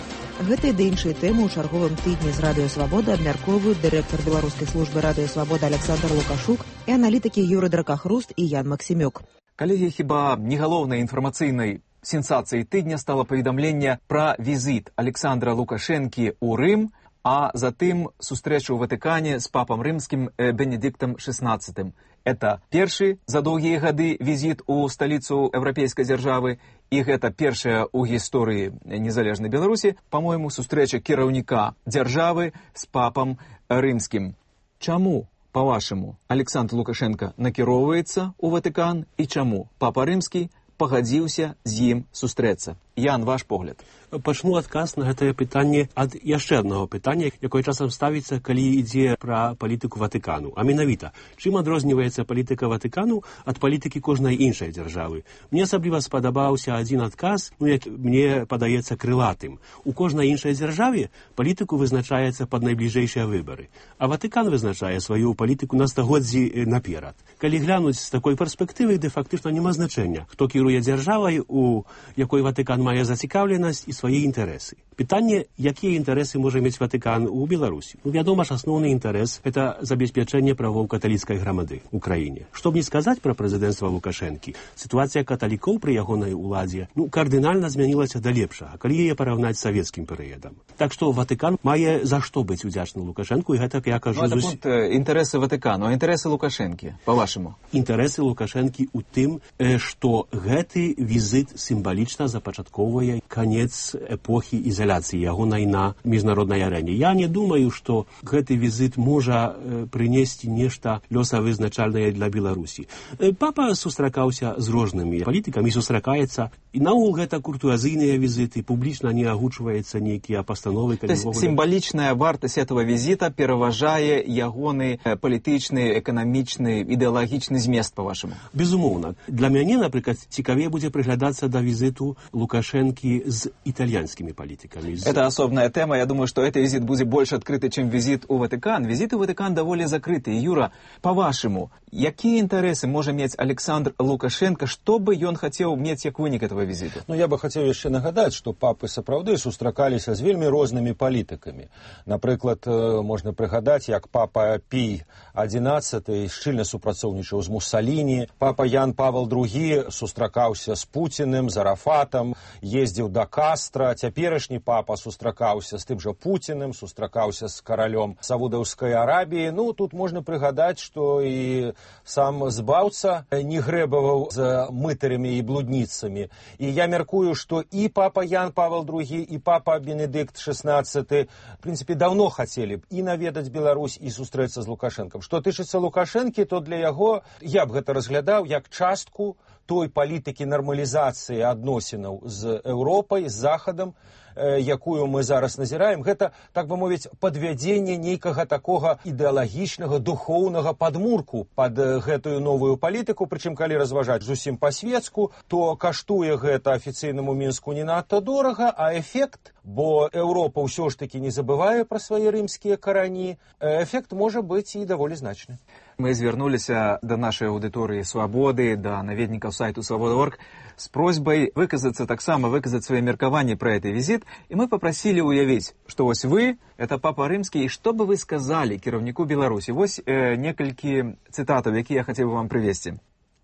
Гэтыя ды іншыя тэмы ў чарговым тыдні з Радыё Свабода абмяркоўваюць дырэктар беларускай службы Радыё Свабода Александр Лукашук і аналітыкі Юры Дракахруст і Ян Максімюк. Калегі, хіба не галоўнай інфармацыйнай сенсацыяй тыдня стала паведамленне пра візіт Александра Лукашэнкі ў Рым а затым сустрэчу ў Ватыкане з папам рымскім Бенедиктом шестнадцатым. Это першы за доўгія гады візіт у сталіцу еўрапейскай дзяржавы, і гэта першая ў гісторыі незалежнай Беларусі, па-мойму, сустрэча кіраўніка дзяржавы з папам рымскім. Чаму, па-вашаму, Александр Лукашенко накіроўваецца ў Ватыкан і чаму папа рымскі пагадзіўся з ім сустрэцца? Ян, ваш погляд. Пачну адказ на гэтае пытанне ад яшчэ аднаго пытання, якое часам ставіцца, калі ідзе пра палітыку Ватыкану. А менавіта, чым адрозніваецца палітыка Ватыкану ад палітыкі кожнай іншай дзяржавы? Мне асабліва спадабаўся адзін адказ, ну, як мне падаецца крылатым. У кожнай іншай дзяржаве палітыку вызначаецца пад найбліжэйшыя выбары, а Ватыкан вызначае сваю палітыку на стагоддзі наперад. Калі глянуць з такой перспектывы, де фактычна няма значэння, хто кіруе дзяржавай, у якой Ватыкан мае зацікаўленасць і свае інтарэсы. Пытанне, якія інтарэсы можа мець Ватыкан у Беларусі? Ну, вядома ж, асноўны інтарэс – это забеспячэнне правоў каталіцкай грамады ў краіне. Што б не сказаць пра прэзідэнцтва Лукашэнкі, сітуацыя каталікоў пры ягонай уладзе ну, кардынальна змянілася да лепшага, калі яе параўнаць з савецкім перыядам. Так што Ватыкан мае за што быць удзячным Лукашэнку, і гэта, я кажу... Ну, зус... інтарэсы Ватыкану, а інтарэсы Лукашэнкі, па-вашаму? Інтарэсы Лукашэнкі ў тым, што гэты візіт сімвалічна запачатковвае канец эпохі ізаляцыі ягонай на міжнароднай арэне. Я не думаю, што гэты візіт можа прынесці нешта лёсавызначальнае для Беларусі. Папа сустракаўся з рознымі палітыкамі, сустракаецца, і наогул гэта куртуазійныя візіты, публічна не агучваецца нейкія пастановы. То есть сімвалічная вартасць этого візіта пераважае ягоны палітычны, эканамічны, ідэалагічны змест, па-вашаму? Безумоўна. Для мяне, напрыклад, цікавей будзе прыглядацца да візіту Лукашэнкі з итальянскими политиками. Это особная тема. Я думаю, что этот визит будет больше открытый, чем визит у Ватикан. Визит у Ватикан довольно закрытый. Юра, по-вашему, какие интересы может иметь Александр Лукашенко, что бы он хотел иметь как вынік этого визита? Ну, я бы хотел еще нагадать, что папы сапраўды сустракаліся з вельмі рознымі палітыкамі. Напрыклад, можна прыгадаць, як папа Пій адзінаццаты шчыльна супрацоўнічаў з Муссаліні, папа Ян Павел другі сустракаўся з Пуціным, з Арафатам, ездзіў да Кастра, цяперашні папа сустракаўся з тым жа Пуціным, сустракаўся з каралём Саудаўскай Арабіі. Ну, тут можна прыгадаць, што і сам збаўца не грэбаваў з мытарамі і блудніцамі. І я мяркую, што і папа Ян Павел другі, і папа Бенедикт шестнадцаты, в прынцыпе, даўно хацелі б і наведаць Беларусь, і сустрэцца з Лукашэнкам. Што тычыцца Лукашэнкі, то для яго я б гэта разглядаў як частку той палітыкі нармалізацыі адносінаў з Еўропай, з Захадам, якую мы зараз назіраем, гэта, так бы мовіць, падвядзенне нейкага такога ідэалагічнага, духоўнага падмурку пад гэтую новую палітыку, прычым калі разважаць зусім па-светску, то каштуе гэта афіцыйнаму Мінску не надта дорага, а эфект, бо Еўропа ўсё ж такі не забывае пра свае рымскія карані, эфект можа быць і даволі значны. Мы звярнуліся да нашай аўдыторыі «Свабоды», да наведнікаў сайту «Свобода точка орг» с просьбой выказаться таксама, выказать свои меркаванні про этот визит, и мы попросили уявить, что вось вы, это папа рымскі, и что бы вы сказали кіраўніку Беларусі? Вось э, некалькі цытатаў, якія я хотел бы вам привести.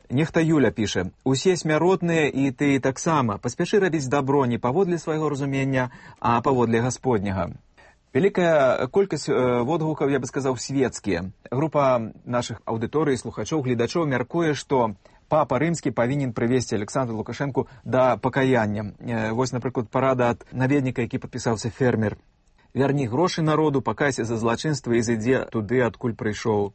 Нехта Юля піша: «Усе смяротныя, і ты таксама. Паспяшы рабіць дабро не паводле свайго разумення, а паводле Гасподняга». Великая колькасць э, водгукаў, я бы сказаў, светскія. Група наших аўдыторый, слухачоў, гледачоў мяркуе, што папа рымскі павінен прывесці Александру Лукашэнку да пакаяння. Э, вось, напрыклад, парада ад наведніка, які падпісаўся фермер. «Вярні грошы народу, пакайся за злачынства і зайдзе туды, адкуль прыйшоў».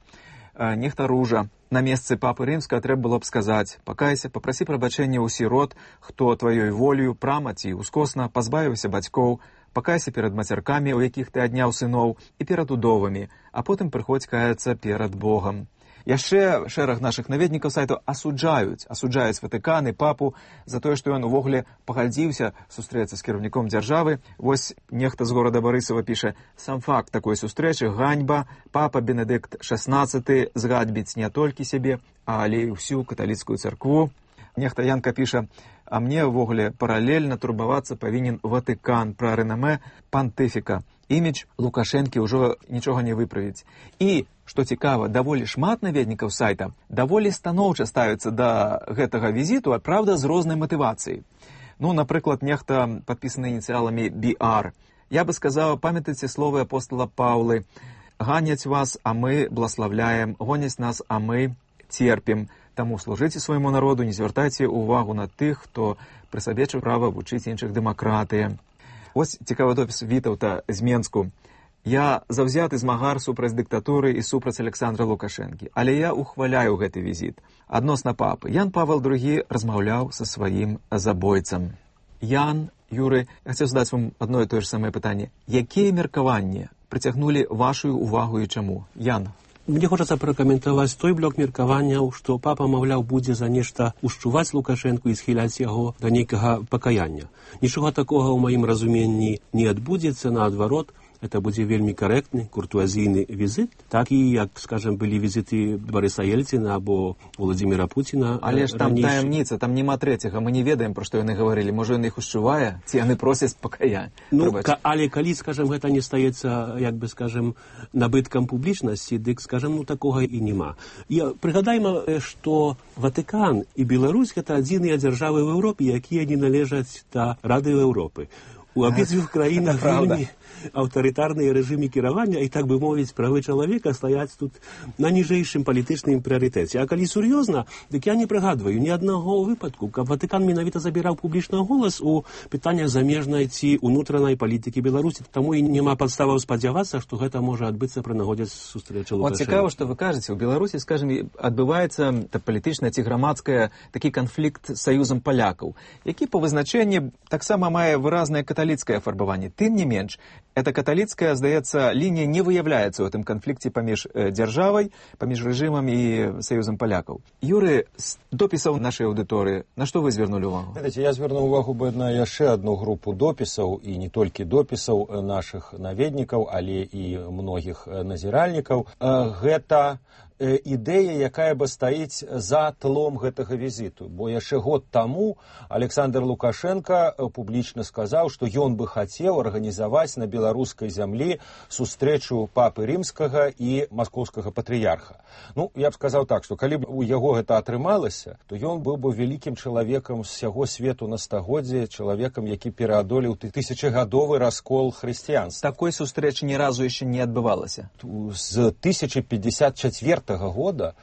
Э, нехта Ружа. На месцы папы рымскага трэба было б сказаць: «Пакайся, папрасі прабачэння ў сірот, хто тваёй волею, прама ці ускосна пазбавіўся бацькоў. Пакайся перад мацяркамі, у якіх ты адняў сыноў, і перад удовамі, а потым прыходзь каяцца перад Богам». Яшчэ шэраг нашых наведнікаў сайту асуджаюць, асуджаюць Ватыкан і папу за тое, што ён увогуле пагадзіўся сустрэцца з кіраўніком дзяржавы. Вось нехта з горада Барысава піша: «Сам факт такой сустрэчы ганьба. Папа Бенедикт шестнадцаты згадбіць не толькі сябе, але і ўсю каталіцкую царкву». Нехта Янка піша: «А мне ўвогуле паралельна турбавацца павінен Ватыкан пра рэнамэ пантыфіка. Імідж Лукашэнкі ўжо нічога не выправіць». І, што цікава, даволі шмат наведнікаў сайта даволі станоўча ставяцца да гэтага візіту, а праўда, з рознай матывацыяй. Ну, напрыклад, нехта, падпісаны ініцыяламі би ар, Я бы сказаў, памятаеце словы апостола Паўлы: «Ганяць вас, а мы блаславляем, гоняць нас, а мы терпім. Таму служыце свайму народу, не звяртайце увагу на тых, хто прысабечыў права вучыць іншых дэмакратыі». Вось цікавы допіс Вітаўта з Менску. «Я заўзяты змагар супраць дыктатуры і супраць Александра Лукашэнкі, але я ухваляю гэты візіт. Адносна папы. Ян Павел другі размаўляў са сваім забойцам». Ян, Юры, я хацеў задаць вам адно і тое ж самае пытанне. Якія меркаванні прыцягнулі вашу увагу і чаму? Ян. Мне хочацца пракаментаваць той блок меркаванняў, што папа, маўляў, будзе за нешта ушчуваць Лукашэнку і схіляць яго да нейкага пакаяння. Нічога такога ў маім разуменні не адбудзецца, наадварот, это будзе вельмі карэктны, куртуазійны візіт, так і, як, скажем, былі візіты Барыса Ельціна або Владзіміра Пуціна. Але ж там таямніца, там няма трэцяга, мы не ведаем, пра што яны гаварылі. Можа, ён іх ушчувае, ці яны просяць пакаяння. Ну, ка, але калі, скажем, гэта не стаецца, як бы, скажем, набыткам публічнасці, дык, скажем, ну, такога і няма. І прыгадайма, што Ватыкан і Беларусь — гэта адзіныя дзяржавы ў Еўропе, якія не належаць да Рады Еўропы. У абедзвюх краінах вельмі аўтарытарныя рэжымы кіравання, і, так бы мовіць, правы чалавека стаяць тут на ніжэйшым палітычным прыярытэце. А калі сур'ёзна, дык я не прыгадваю ні аднаго выпадку, каб Ватыкан менавіта забіраў публічна голас у пытаннях замежнай ці унутранай палітыкі Беларусі. Таму і няма падставаў спадзявацца, што гэта можа адбыцца пры нагодзе сустрэчы Лукашэнка. Вот цікава, што вы кажаце, у Беларусі, скажем, адбываецца палітычная ці грамадская такі канфлікт з саюзам палякаў, які па вызначэнні таксама мае выразнае каталіцкае афарбаванне. Тым не менш, эта каталіцкая, здаецца, лінія не выяўляецца ў гэтым канфлікце паміж э, дзяржавай, паміж рэжымам і саюзам палякаў. Юры, з допісаў нашай аўдыторыі, на што вы звярнулі ўвагу? Ведаеце, я звярнуў увагу бы на яшчэ адну групу допісаў, і не толькі допісаў нашых наведнікаў, але і многіх назіральнікаў. Гэта ідэя, якая бы стаіць за тлом гэтага візіту. Бо яшчэ год таму Александр Лукашенко публічна сказаў, што ён бы хацеў арганізаваць на беларускай зямлі сустрэчу папы рымскага і маскоўскага патрыярха. Ну, я б сказаў так, што калі б у яго гэта атрымалася, то ён быў бы вялікім чалавекам з сяго свету на стагоддзе, чалавекам, які пераадолеў тысячагадовы раскол хрысціянства. Такой сустрэчы ні разу яшчэ не адбывалася. З тысяча пятьдесят четвёртага года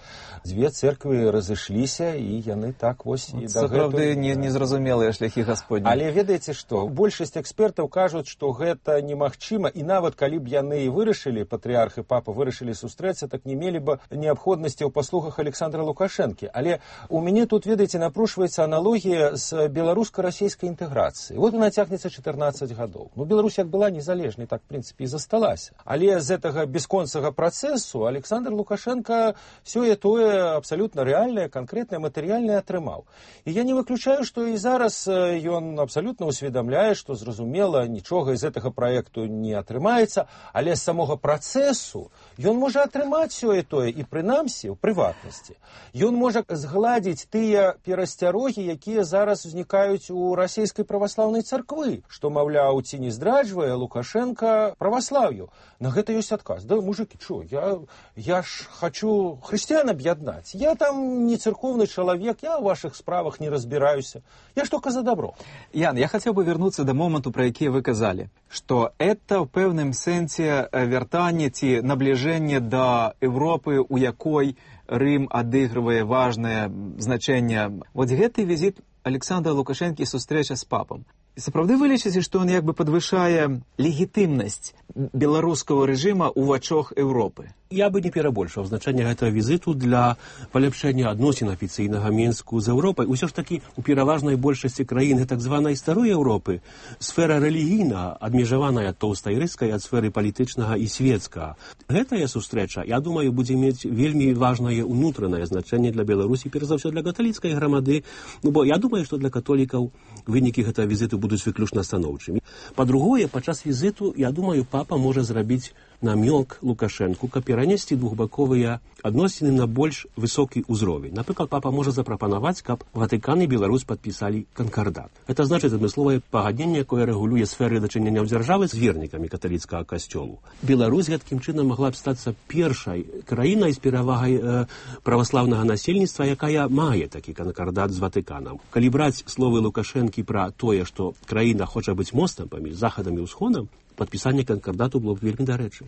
дзве церквы разышліся, і яны так вось і дагэтуль... Сапраўды не, незразумелыя шляхі Гасподні. Але ведаеце што? Большасць экспертаў кажуць, што гэта немагчыма, і нават калі б яны і вырашылі, патрыярх і папа вырашылі сустрэцца, так не мелі бы неабходнасці ў паслугах Александра Лукашэнкі. Але у мяне тут, ведаеце, напрушваецца аналогія з беларуска-расійскай інтэграцыі. Вот она цягнецца чатырнаццаць гадоў. Ну, Беларусь як была незалежнай, так, в прынцыпе, і засталася. Але з гэтага бясконцага працэсу Александр Лукашенко сёе-тое абсалютна рэальнае, канкрэтнае, матэрыяльнае атрымаў. І я не выключаю, што і зараз ён абсалютна усведамляе, што, зразумела, нічога з гэтага праекту не атрымаецца, але з самога працэсу ён можа атрымаць сёе-тое і, прынамсі, у прыватнасці. Ён можа згладзіць тыя перасцярогі, якія зараз узнікаюць у расійскай праваслаўнай царквы, што, маўляў, ці не здраджвае Лукашенка праваслаўю. На гэта ёсць адказ. Да, мужыкі, чо, я, я ж хочу хрысціян аб'яднаць. Я там не церковны чалавек, я ў вашых справах не разбіраюся. Я ж только за добро. Ян, я хацеў бы вярнуцца да моманту, пра які вы казалі, што это ў пэўным сэнсе вяртанне ці набліжэнне да Европы, у якой Рым адыгрывае важнае значэнне. Вот гэты візіт Александра Лукашэнкі, сустрэча з папам. Сапраўды вы лічыце, што ён як бы падвышае легітымнасць беларускага рэжыма ў вачах Еўропы? Я бы не перабольшаў значэнне гэтага візіту для паляпшэння адносін афіцыйнага Мінску з Еўропай. Усё ж такі у пераважнай большасці краін так званай старой Еўропы сфера рэлігійна адмежаваная тоўстай рыскай ад сферы палітычнага і светскага. Гэтая сустрэча, я думаю, будзе мець вельмі важнае унутранае значэнне для Беларусі, перш за ўсё для каталіцкай грамады. Ну, бо я думаю, што для католікаў вынікі гэтага візіту будуць выключна станоўчымі. Па-другое, падчас візіту, я думаю, папа можа зрабіць намёк Лукашэнку, каб перанесці двухбаковыя адносіны на больш высокі ўзровень. Напрыклад, папа можа запрапанаваць, каб Ватыкан і Беларусь падпісалі канкардат. Это значыць адмысловае пагадненне, якое рэгулюе сферы дачынення дзяржавы з вернікамі каталіцкага касцёлу. Беларусь гэткім чынам магла б стацца першай краінай з перавагай э, праваслаўнага насельніцтва, якая мае такі канкардат з Ватыканам. Калі браць словы Лукашэнкі пра тое, што краіна хоча быць мостам паміж захадам і ўсходам, падпісанне канкардату было б вельмі дарэчы.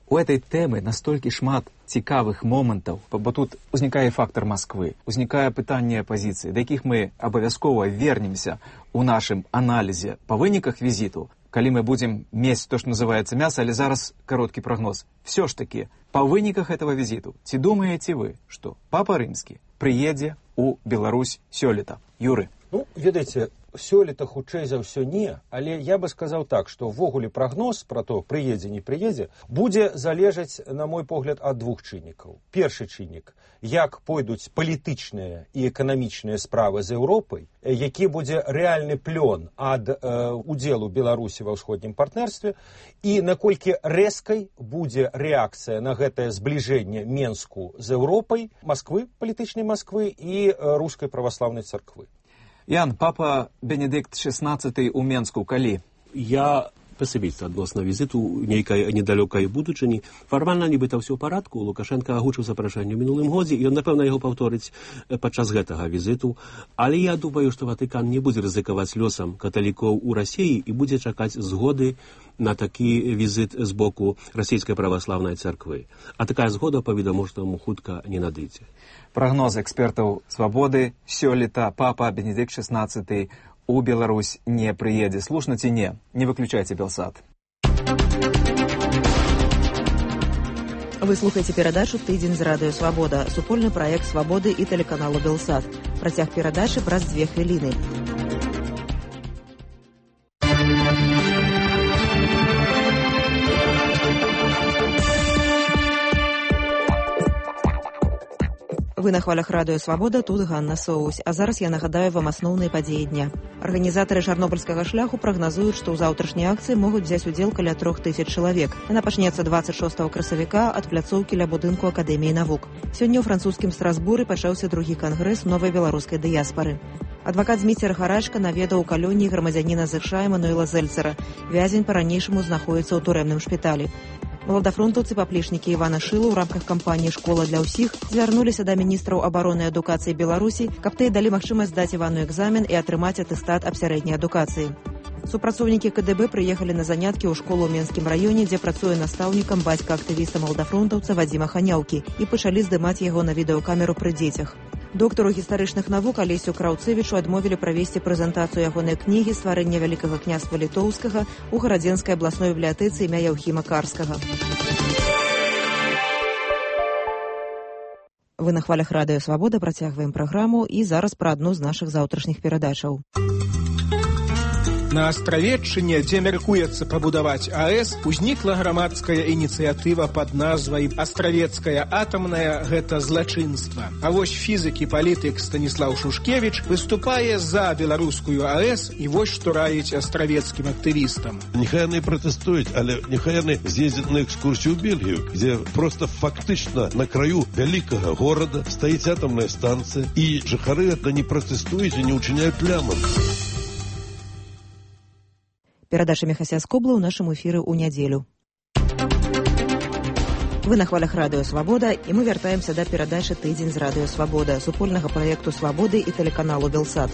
У этой тэмы настолькі шмат цікавых момантаў, бо тут узнікае фактар Масквы, узнікае пытанне апазіцыі, да якіх мы абавязкова вернемся у нашым аналізе па выніках візіту, калі мы будзем мець то, што называецца мяса, але зараз кароткі прагноз. Все ж таки, па выніках этого візіту, ці думаеце вы, што папа рымскі прыедзе у Беларусь сёлета? Юры. Ну, ведаеце, сёлета хутчэй за ўсё не, але я бы сказаў так, што ўвогуле прагноз пра то, прыедзе, не прыедзе, будзе залежаць, на мой погляд, ад двух чыннікаў. Першы чыннік, як пойдуць палітычныя і эканамічныя справы з Еўропай, які будзе рэальны плён ад э, удзелу Беларусі ва ўсходнім партнерстве, і наколькі рэзкай будзе рэакцыя на гэтае збліжэнне Менску з Еўропай, Масквы, палітычнай Масквы і э, рускай праваслаўнай царквы. Ян, папа Бенедикт шестнадцаты у Менску калі? Я пасабіста адносна візіту нейкай недалёкай будучыні. Фармальна нібыта ўсё ў парадку. Лукашенко агучыў запрашэнне ў мінулым годзе, і ён, напэўна, яго паўторыць падчас гэтага візіту. Але я думаю, што Ватыкан не будзе рызыкаваць лёсам каталікоў у Расіі і будзе чакаць згоды на такі візіт з боку расійскай праваслаўнай царквы. А такая згода, па-відавочнаму, хутка не надыдзе. Прогноз экспертаў «Свабоды» сёлета папа Бенедикт шестнадцаты у Беларусь не прыедзе. Слушна ці не? Не выключайце Белсат. Вы слухаеце перадачу «Тыдзень з радыё Свабода», супольны праект «Свабоды» і тэлеканалу «Белсат». Працяг перадачы праз дзве хвіліны. Вы на хвалях радыё Свабода, тут Ганна Соусь. А зараз я нагадаю вам асноўныя падзеі дня. Арганізатары чарнобыльскага шляху прагназуюць, што ў заўтрашняй акцыі могуць взяць удзел каля трох тысяч чалавек. Яна пачнецца двадцать шостого красавіка ад пляцоўкі ля будынку Акадэміі навук. Сёння ў французскім Страсбуры пачаўся другі кангрэс новай беларускай дыяспары. Адвакат Зміцер Гарачка наведаў у калоніі грамадзяніна ЗША Эмануэла Зельцера. Вязень па-ранейшаму знаходзіцца ў турэмным шпіталі. Маладафронтаўцы паплечнікі Івана Шыла ў рамках кампаніі «Школа для ўсіх» звярнуліся да міністраў абароны і адукацыі Беларусі, каб тыя далі магчымасць здаць Івану экзамен і атрымаць атэстат аб сярэдняй адукацыі. Супрацоўнікі КДБ прыехалі на заняткі ў школу ў Менскім раёне, дзе працуе настаўнікам бацька актывіста маладафронтаўца Вадзіма Ханяўкі, і пачалі здымаць яго на відэакамеру пры дзецях. Доктару гістарычных навук Алесю Краўцевічу адмовілі правесці прэзентацыю ягонай кнігі «Стварэнне вялікага княства літоўскага» у Гарадзенскай абласной бібліятэцы імя Яўхіма Карскага. Вы на хвалях радыё Свабода, працягваем праграму, і зараз пра адну з нашых заўтрашніх перадачаў. На Астравеччыне, дзе мяркуецца пабудаваць АЭС, узнікла грамадская ініцыятыва пад назвай «Астравецкая атамная» – гэта злачынства. А вось фізык і палітык Станіслаў Шушкевіч выступае за беларускую АЭС, і вось што раіць астравецкім актывістам. Нехай яны пратэстуюць, але нехай яны з'ездзяць на экскурсію ў Бельгію, дзе проста фактычна на краю вялікага горада стаіць атамная станцыя, і жыхары гэта не пратэстуюць і не ўчыняюць плямам. Перадача Мехася Скобла ў нашым эфіры ў нядзелю. Вы на хвалях радыё Свабода, і мы вяртаемся да перадачы «Тыдзень з радыё Свабода», супольнага праекту «Свабоды» і тэлеканалу «Белсат».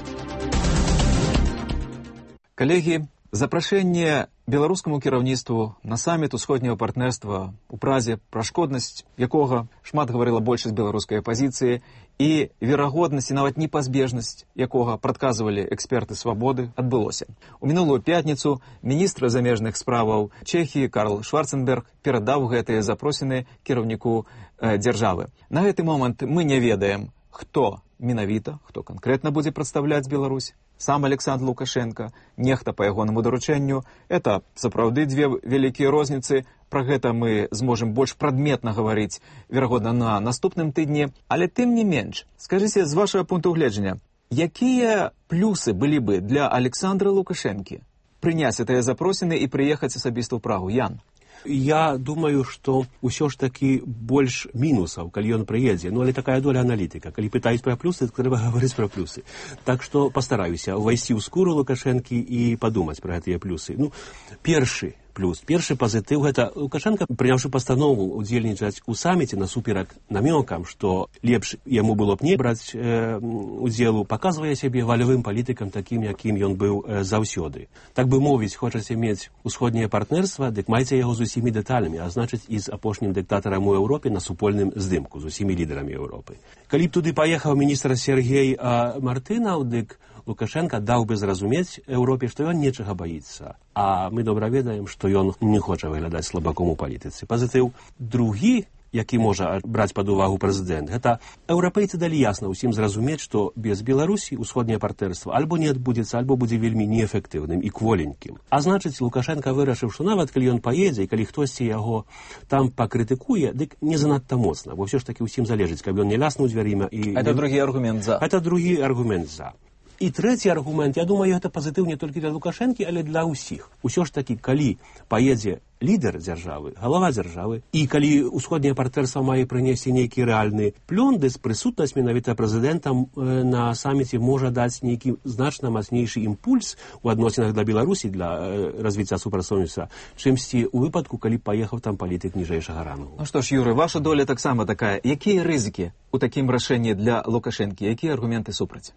Калегі, запрашэнне беларускаму кіраўніцтву на саміт усходняга партнерства у Празе, пра шкоднасць якога шмат гаварыла большасць беларускай апазіцыі, і верагоднасць і нават непазбежнасць якога прадказвалі эксперты Свабоды, адбылося. У мінулую пятніцу міністр замежных справаў Чэхіі Карл Шварценберг перадаў гэтыя запросіны кіраўніку э, дзяржавы. На гэты момант мы не ведаем, хто менавіта, хто канкрэтна будзе прадстаўляць Беларусь. Сам Александр Лукашенко, нехта па ягонаму даручэнню. Это сапраўды дзве вялікія розніцы. Пра гэта мы зможам больш прадметна гаварыць, верагодна, на наступным тыдні. Але тым не менш, скажыце, з вашага пункту гледжання, якія плюсы былі бы для Александра Лукашэнкі прыняць гэтыя запросіны і прыехаць асабіста ў Прагу? Ян? Я думаю, што ўсё ж такі больш мінусаў, калі ён прыедзе. Ну, але такая доля аналітыка. Калі пытаюць пра плюсы, то трэба гаварыць пра плюсы. Так што пастараюся ўвайсці ў скуру Лукашэнкі і падумаць пра гэтыя плюсы. Ну, першы, плюс. Першы пазітыў гэта Лукашенко, прыняўшы пастанову удзельнічаць у саміце насуперак намёкам, што лепш яму было б не браць э, удзелу, паказвае сябе валявым палітыкам такім, якім ён быў э, заўсёды. Так бы мовіць, хочаце мець усходняе партнерства, дык майце яго з усімі дэталямі, а значыць і з апошнім дыктатарам у Еўропе на супольным здымку, з усімі лідарамі Еўропы. Калі б туды паехаў міністр Сергей а, Мартынаў, дык Лукашенко даў бы зразумець Еўропе, што ён нечага баіцца. А мы добра ведаем, што ён не хоча выглядаць слабаком у палітыцы. Пазітыў другі, які можа браць пад увагу прэзідэнт, гэта еўрапейцы далі ясна ўсім зразумець, што без Беларусі ўсходняе партнерства альбо не адбудзецца, альбо будзе вельмі неэфектыўным і кволенькім. А значыць, Лукашенко вырашыў, што нават калі ён паедзе, і калі хтосьці яго там пакрытыкуе, дык не занадта моцна, бо ўсё ж такі ўсім залежыць, каб ён не ляснуў дзвярыма. І... Это другі аргумент за. Это другі аргумент за. І трэці аргумент, я думаю, гэта пазітыў не толькі для Лукашэнкі, але для ўсіх. Усё ж такі, калі паедзе лідар дзяржавы, галава дзяржавы, і калі ўсходняе партнерства мае прынесці нейкі рэальны плёндыс, прысутнасць менавіта прэзідэнтам э, на саміце можа даць нейкі значна мацнейшы імпульс у адносінах да Беларусі для э, развіцця супрацоўніцтва, чымсьці ў выпадку, калі паехаў там палітык ніжэйшага рангу. Ну што ж, Юры, ваша доля таксама такая. Якія рызыкі ў такім рашэнні для Лукашэнкі? Якія аргументы супраць?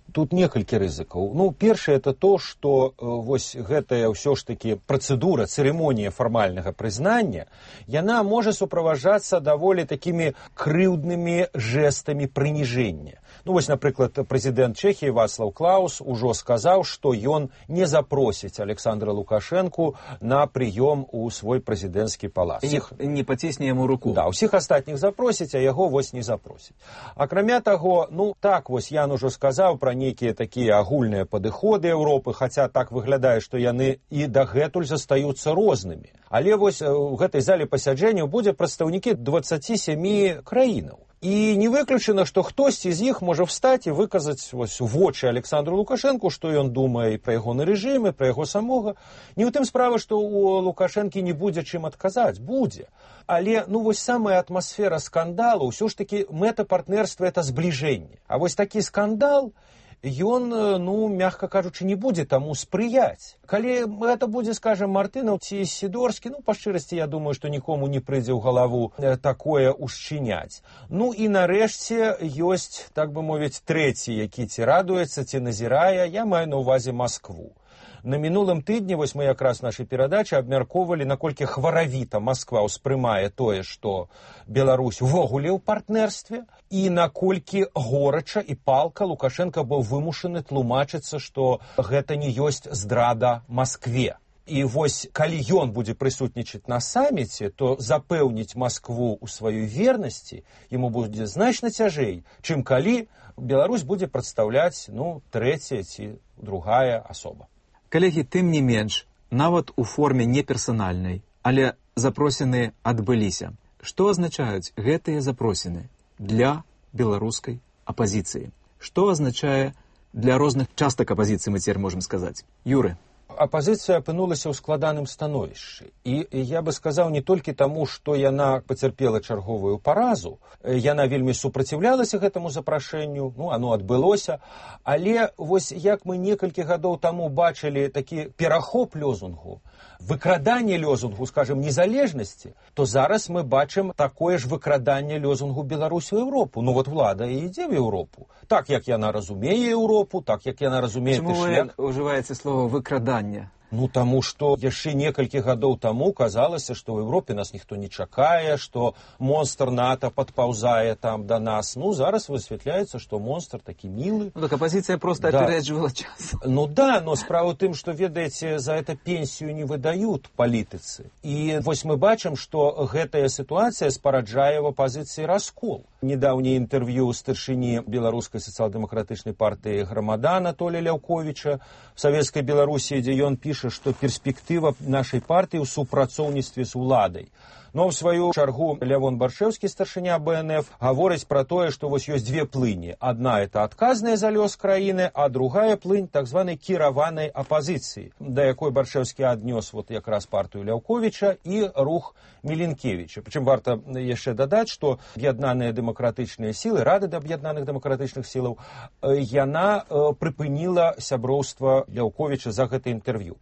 Тут некалькі рызыкаў. Ну, першае, это то, што э, вось гэтая ўсё ж такі працэдура, цырымонія фармальнага прызнання, яна можа суправаджацца даволі такімі крыўднымі жэстамі прыніжэння. Ну, вось, напрыклад, прэзідэнт Чэхіі Вацлаў Клаус ужо сказаў, што ён не запросіць Александра Лукашэнку на прыём у свой прэзідэнцкі палац. І не пацісне яму руку. Да, усіх астатніх запросіць, а яго вось не запросіць. Акрамя таго, ну, так вось Ян ужо сказаў пра некія такія агульныя падыходы Еўропы, хаця так выглядае, што яны і дагэтуль застаюцца рознымі. Але вось у гэтай зале пасяджэнняў будзе прадстаўнікі дваццаці сямі краінаў. І не выключана, што хтосьці з іх можа встаць і выказаць вось у вочы Александру Лукашэнку, што ён думае пра ягоны рэжым, пра яго самога. Не ў тым справа, што у Лукашэнкі не будзе чым адказаць, будзе. Але ну вось самая атмасфера скандалу, ўсё ж такі мэта партнерства это збліжэнне. А вось такі скандал, ён, ну, мягка кажучы, не будзе таму спрыяць. Калі гэта будзе, скажем, Мартынаў ці Сідорскі, ну, па шчырасці, я думаю, што нікому не прыйдзе ў галаву такое ушчыняць. Ну, і нарэшце ёсць, так бы мовіць, трэці, які ці радуецца, ці назірае, я маю на ўвазе Маскву. На мінулым тыдні, вось мы якраз нашай перадачы абмяркоўвалі, наколькі хваравіта Масква ўспрымае тое, што Беларусь увогуле ў партнерстве, і наколькі горача і палка Лукашенко быў вымушаны тлумачыцца, што гэта не ёсць здрада Маскве. І вось, калі ён будзе прысутнічаць на саміце, то запэўніць Маскву ў сваёй вернасці яму будзе значна цяжэй, чым калі Беларусь будзе прадстаўляць, ну, трэцяя ці другая асоба. Калегі, тым не менш, нават у форме неперсанальнай, але запросіны адбыліся. Што азначаюць гэтыя запросіны для беларускай апазіцыі? Што азначае для розных частак апазіцыі, мы цяпер можам сказаць? Юры. Апазіцыя апынулася ў складаным становішчы. І я бы сказаў не толькі таму, што яна пацярпела чарговую паразу, яна вельмі супраціўлялася гэтаму запрашэнню, ну, оно адбылося, але вось як мы некалькі гадоў таму бачылі такі перахоп лёзунгу, выкраданне лёзунгу, скажем, незалежнасці, то зараз мы бачым такое ж выкраданне лёзунгу Беларусь у Еўропу. Ну вот влада і ідзе в Еўропу. Так, як яна разумее Еўропу, так, як яна разумее... Чаму вы ўжываеце слово «выкрадання»? Ну, таму што яшчэ некалькі гадоў таму казалася, што ў Еўропе нас ніхто не чакае, што монстр НАТО падпаўзае там да нас. Ну, зараз высвятляецца, што монстр такі мілы. Ну, так апозіцыя проста да. Апярэджвала час. Ну, да, но справа ў тым, што, ведаеце, за это пенсію не выдаюць палітыцы. І вось мы бачым, што гэтая сітуацыя спараджае ў апозіцыі раскол. Недаўняе інтэрв'ю старшыні беларускай сацыял-дэмакратычнай партыі Грамада Анатолія Ляўковіча в Савецкай Беларусі, дзе ён піша, што перспектыва нашай партыі ў супрацоўніцтве з уладай. Но ў сваю чаргу Лявон Баршэўскі, старшыня Бэ Эн Эф, гаворыць пра тое, што вось ёсць две плыні. Адна — это адказная за лёс краіны, а другая плынь так званай кіраванай апазіцыі, да якой Баршэўскі аднёс вот якраз партыю Ляўковіча і рух Міленкевіча. Прычым варта яшчэ дадаць, што аб'яднаныя дэмакратычныя сілы, Рада аб'яднаных дэмакратычных сілаў, яна прыпыніла сяброўства Ляўковіча за гэта інтэрв'ю.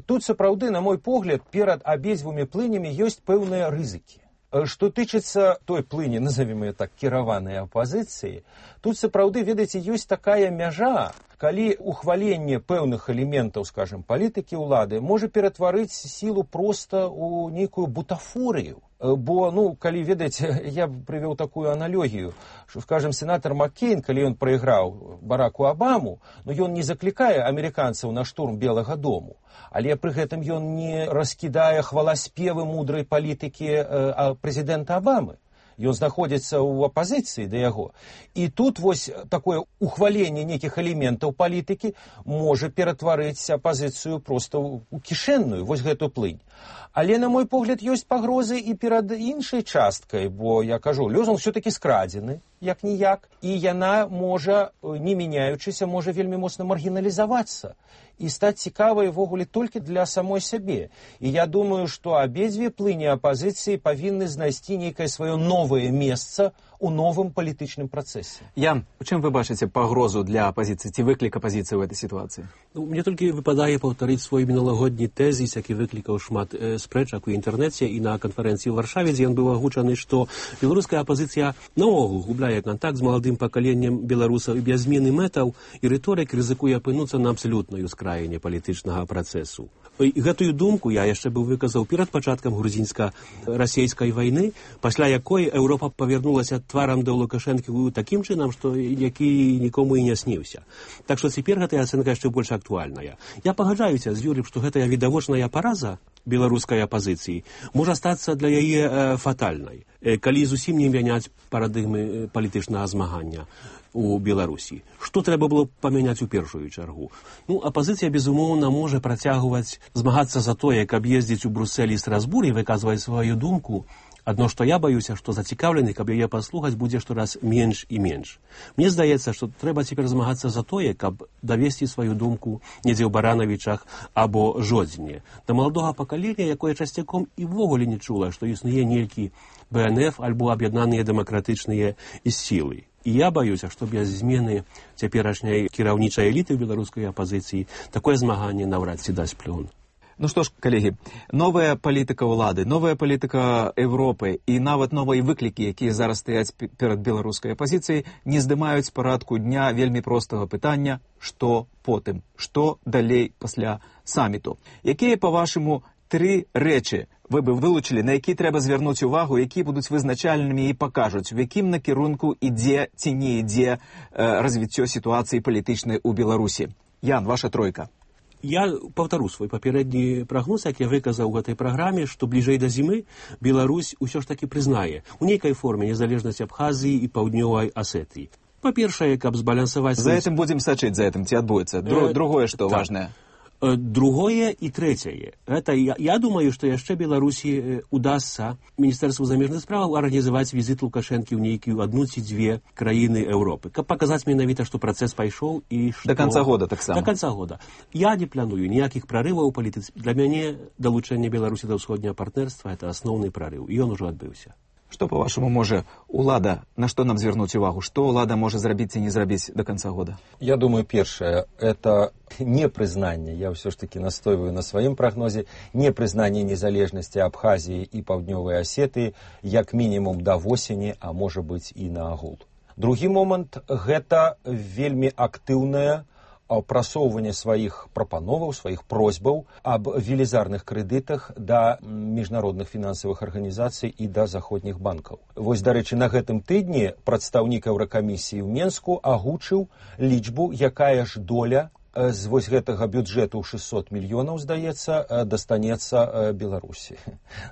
Тут сапраўды, на мой погляд, перад абедзвюмі плынямі ёсць пэўныя рызыкі. Што тычыцца той плыні, назовем ее так, кіраванай апазіцыі, тут сапраўды, ведаеце, ёсць такая мяжа, калі ухваленне пэўных элементаў, скажем, палітыкі ўлады можа ператварыць сілу проста ў нейкую бутафорыю. Бо, ну, калі, ведаеце, я прывёў такую аналогію, што, скажем, сенатор Маккейн, калі ён прайграў Бараку Абаму, ну, ён не заклікае амерыканцаў на штурм Белага дому, але пры гэтым ён не раскідае хваласпевы мудрай палітыкі э, прэзідэнта Абамы. Ён знаходзіцца ў апазіцыі да яго. І тут вось такое ухваленне нейкіх элементаў палітыкі можа ператварыць апазіцыю проста ў кішэнную, вось гэту плынь. Але, на мой погляд, ёсць пагрозы і перад іншай часткай, бо, я кажу, лёзунг все-таки скрадзены, як-ніяк, і яна можа, не мяняючыся, можа вельмі моцна маргіналізавацца і стаць цікавай ввогуле толькі для самой сябе. І я думаю, што абедзве плыні апазіцыі павінны знайсці нейкае сваё новае месца у новым палітычным працэсе. Ян, у чым вы бачыце пагрозу для апазіцыі, ці выклік апазіцыі ў этой сітуацыі? Ну, мне толькі выпадае паўтарыць свой міналагодні тэзіс, які выклікаў шмат э, спрэчак у інтэрнэце і на канферэнцыі ў Варшаве, дзе ён быў агучаны, што беларуская апазіцыя наогул губляе кантакт з маладым пакаленнем беларусаў і без змены мэтаў і рыторык рызыкуе апынуцца на абсалютнай ускраіне палітычнага працэсу. І гэтую думку я яшчэ быў выказаў перад пачаткам грузінска-расейскай вайны, пасля якой Еўропа павярнулася тварам да Лукашэнкі такім чынам, што які нікому і не сніўся. Так што цяпер гэтая ацэнка яшчэ больш актуальная. Я пагаджаюся з Юрыем, што гэтая відавочная параза беларускай апазіцыі можа стацца для яе э, фатальнай, э, калі зусім не мяняць парадыгмы палітычнага змагання у Беларусі. Што трэба было памяняць у першую чаргу? Ну, апазіцыя, безумоўна, можа працягваць змагацца за тое, каб ездзіць у Бруссель і Страсбур і выказваць сваю думку. Адно, што я баюся, што зацікаўлены, каб яе паслухаць, будзе штораз менш і менш. Мне здаецца, што трэба цяпер змагацца за тое, каб давесці сваю думку недзе ў Баранавічах або Жодзіне. Да маладога пакалення, якое часцяком і ввогуле не чула, што існуе нейкі бэ эн эф альбо аб'яднаныя дэмакратычныя сілы. І я баюся, што без змены цяперашняй кіраўнічай эліты ў беларускай апазіцыі такое змаганне наўрад ці дасць плён. Ну што ж, калегі, новая палітыка ўлады, новая палітыка Европы і нават новыя выклікі, якія зараз стаяць перад беларускай апазіцыяй, не здымаюць з парадку дня вельмі простага пытання, што потым, што далей пасля саміту. Якія, па-вашаму, тры рэчы вы бы вылучылі, на які трэба звярнуць увагу, якія будуць вызначальнымі і пакажуць, у якім накірунку ідзе ці не ідзе э, развіццё сітуацыі палітычнай у Беларусі? Ян, ваша тройка. Я паўтару свой папярэдні прагноз, як я выказаў у гэтай праграме, што бліжэй да зімы Беларусь усё ж такі прызнае у нейкай форме незалежнасць Абхазіі і паўднёвай Асетыі. Па-першае, каб збалансаваць... За гэтым будзем сачыць, за гэтым ці адбудзецца. Дру, другое, што так. Важнае. Другое і трэцяе. Это, я, я думаю, што яшчэ Беларусі удасца Міністэрству замежных справаў арганізаваць візіт Лукашэнкі ў нейкую адну ці дзве краіны Еўропы, каб паказаць менавіта, што працэс пайшоў і што... Да канца года таксама. Да канца года. Я не планую ніякіх прарываў у палітыцы. Для мяне далучэнне Беларусі да ўсходняга партнерства — это асноўны прарыў, і ён ужо адбыўся. Што, па-вашаму, можа улада, на што нам звярнуць увагу? Што ўлада можа зрабіць ці не зрабіць до канца года? Я думаю, першае, это непрызнанне, я ўсё ж таки настойваю на сваім прагнозе, непрызнанне незалежнасці Абхазіі і Паўднёвай Асетыі як мінімум да восені, а можа быць і на агул. Другі момант, гэта вельмі актыўная прасоўванне сваіх прапановаў, сваіх просьбаў аб велізарных крэдытах да міжнародных фінансавых арганізацый і да заходніх банкаў. Вось, дарэчы, на гэтым тыдні прадстаўнік Еўракамісіі ў Менску агучыў лічбу, якая ж доля з вось гэтага бюджэту шэсцьсот мільёнаў, здаецца, дастанецца Беларусі.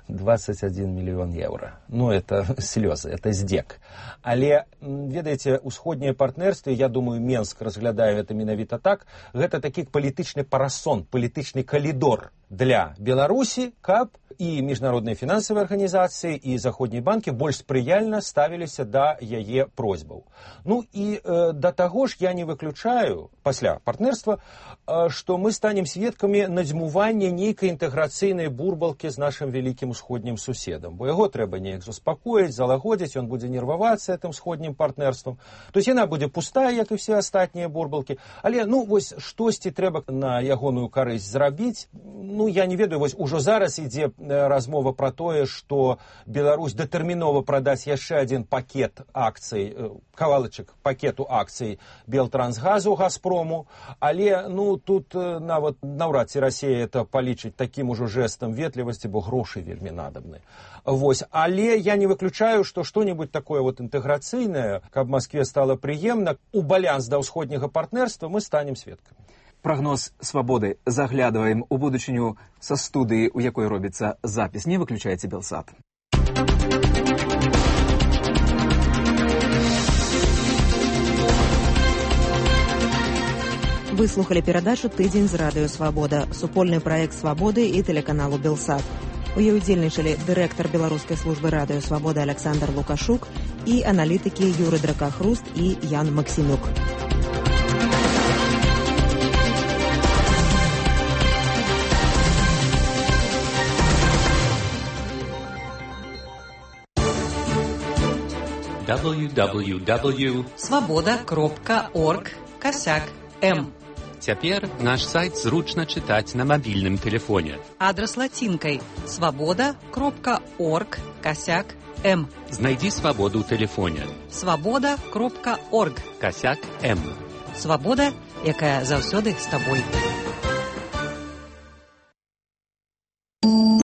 двадцать один мільён еўра. Ну, это слёзы, это здзек. Але, ведаеце, усходнія партнерствы, я думаю, Менск разглядае гэта менавіта так, гэта такі палітычны парасон, палітычны калідор для Беларусі, каб і міжнародныя фінансавыя арганізацыі, і заходнія банкі больш спрыяльна ставіліся да яе просьбаў. Ну і э, да таго ж я не выключаю, пасля партнерства, э, што мы станем сведкамі надзьмування нейкай інтэграцыйнай бурбалкі з нашым вялікім усходнім суседам, бо яго трэба неяк заспакоіць, залагодзіць, ён будзе нервавацца гэтым сходнім партнерствам. То есть яна будзе пустая, як і все астатнія бурбалкі, але ну вось штосьці трэба на ягоную карысць зрабіць. Ну я не ведаю, вось ужо зараз ідзе размова пра тое, што Беларусь датэрмінова прадаць яшчэ адзін пакет акцый, кавалачак пакету акцый Белтрансгазу, Газпрому, але ну тут нават наўрад ці Расія это палічыць такім ужо жэстам ветлівасці, бо грошы вельмі надабны. Вось, але я не выключаю, што што-небудзь такое вот інтэграцыйнае, каб Маскве стала прыемна, у балянс да ўсходняга партнерства мы станем сведкамі. Прогноз «Свободы». Заглядываем у будучыню со студыі, у якой робіцца запіс. Не выключайте Белсат. Вы слухали перадачу «Тыдзень з радыё Свабода», супольны праект «Свабоды» і тэлеканалу «Белсат». У ёй удзельнічалі дырэктар беларускай службы радыё Свабода Александр Лукашук і аналітыкі Юры Дракахруст і Ян Максімюк. дабл ю дабл ю дабл ю крапка свобода крапка орг косяк м. Цяпер наш сайт зручна чытаць на мабільным тэлефоне. Адрес лацінкай свобода крапка орг косяк м. Знайдзі свабоду ў тэлефоне. свобода крапка орг косяк м. Свабода, якая заўсёды з табой.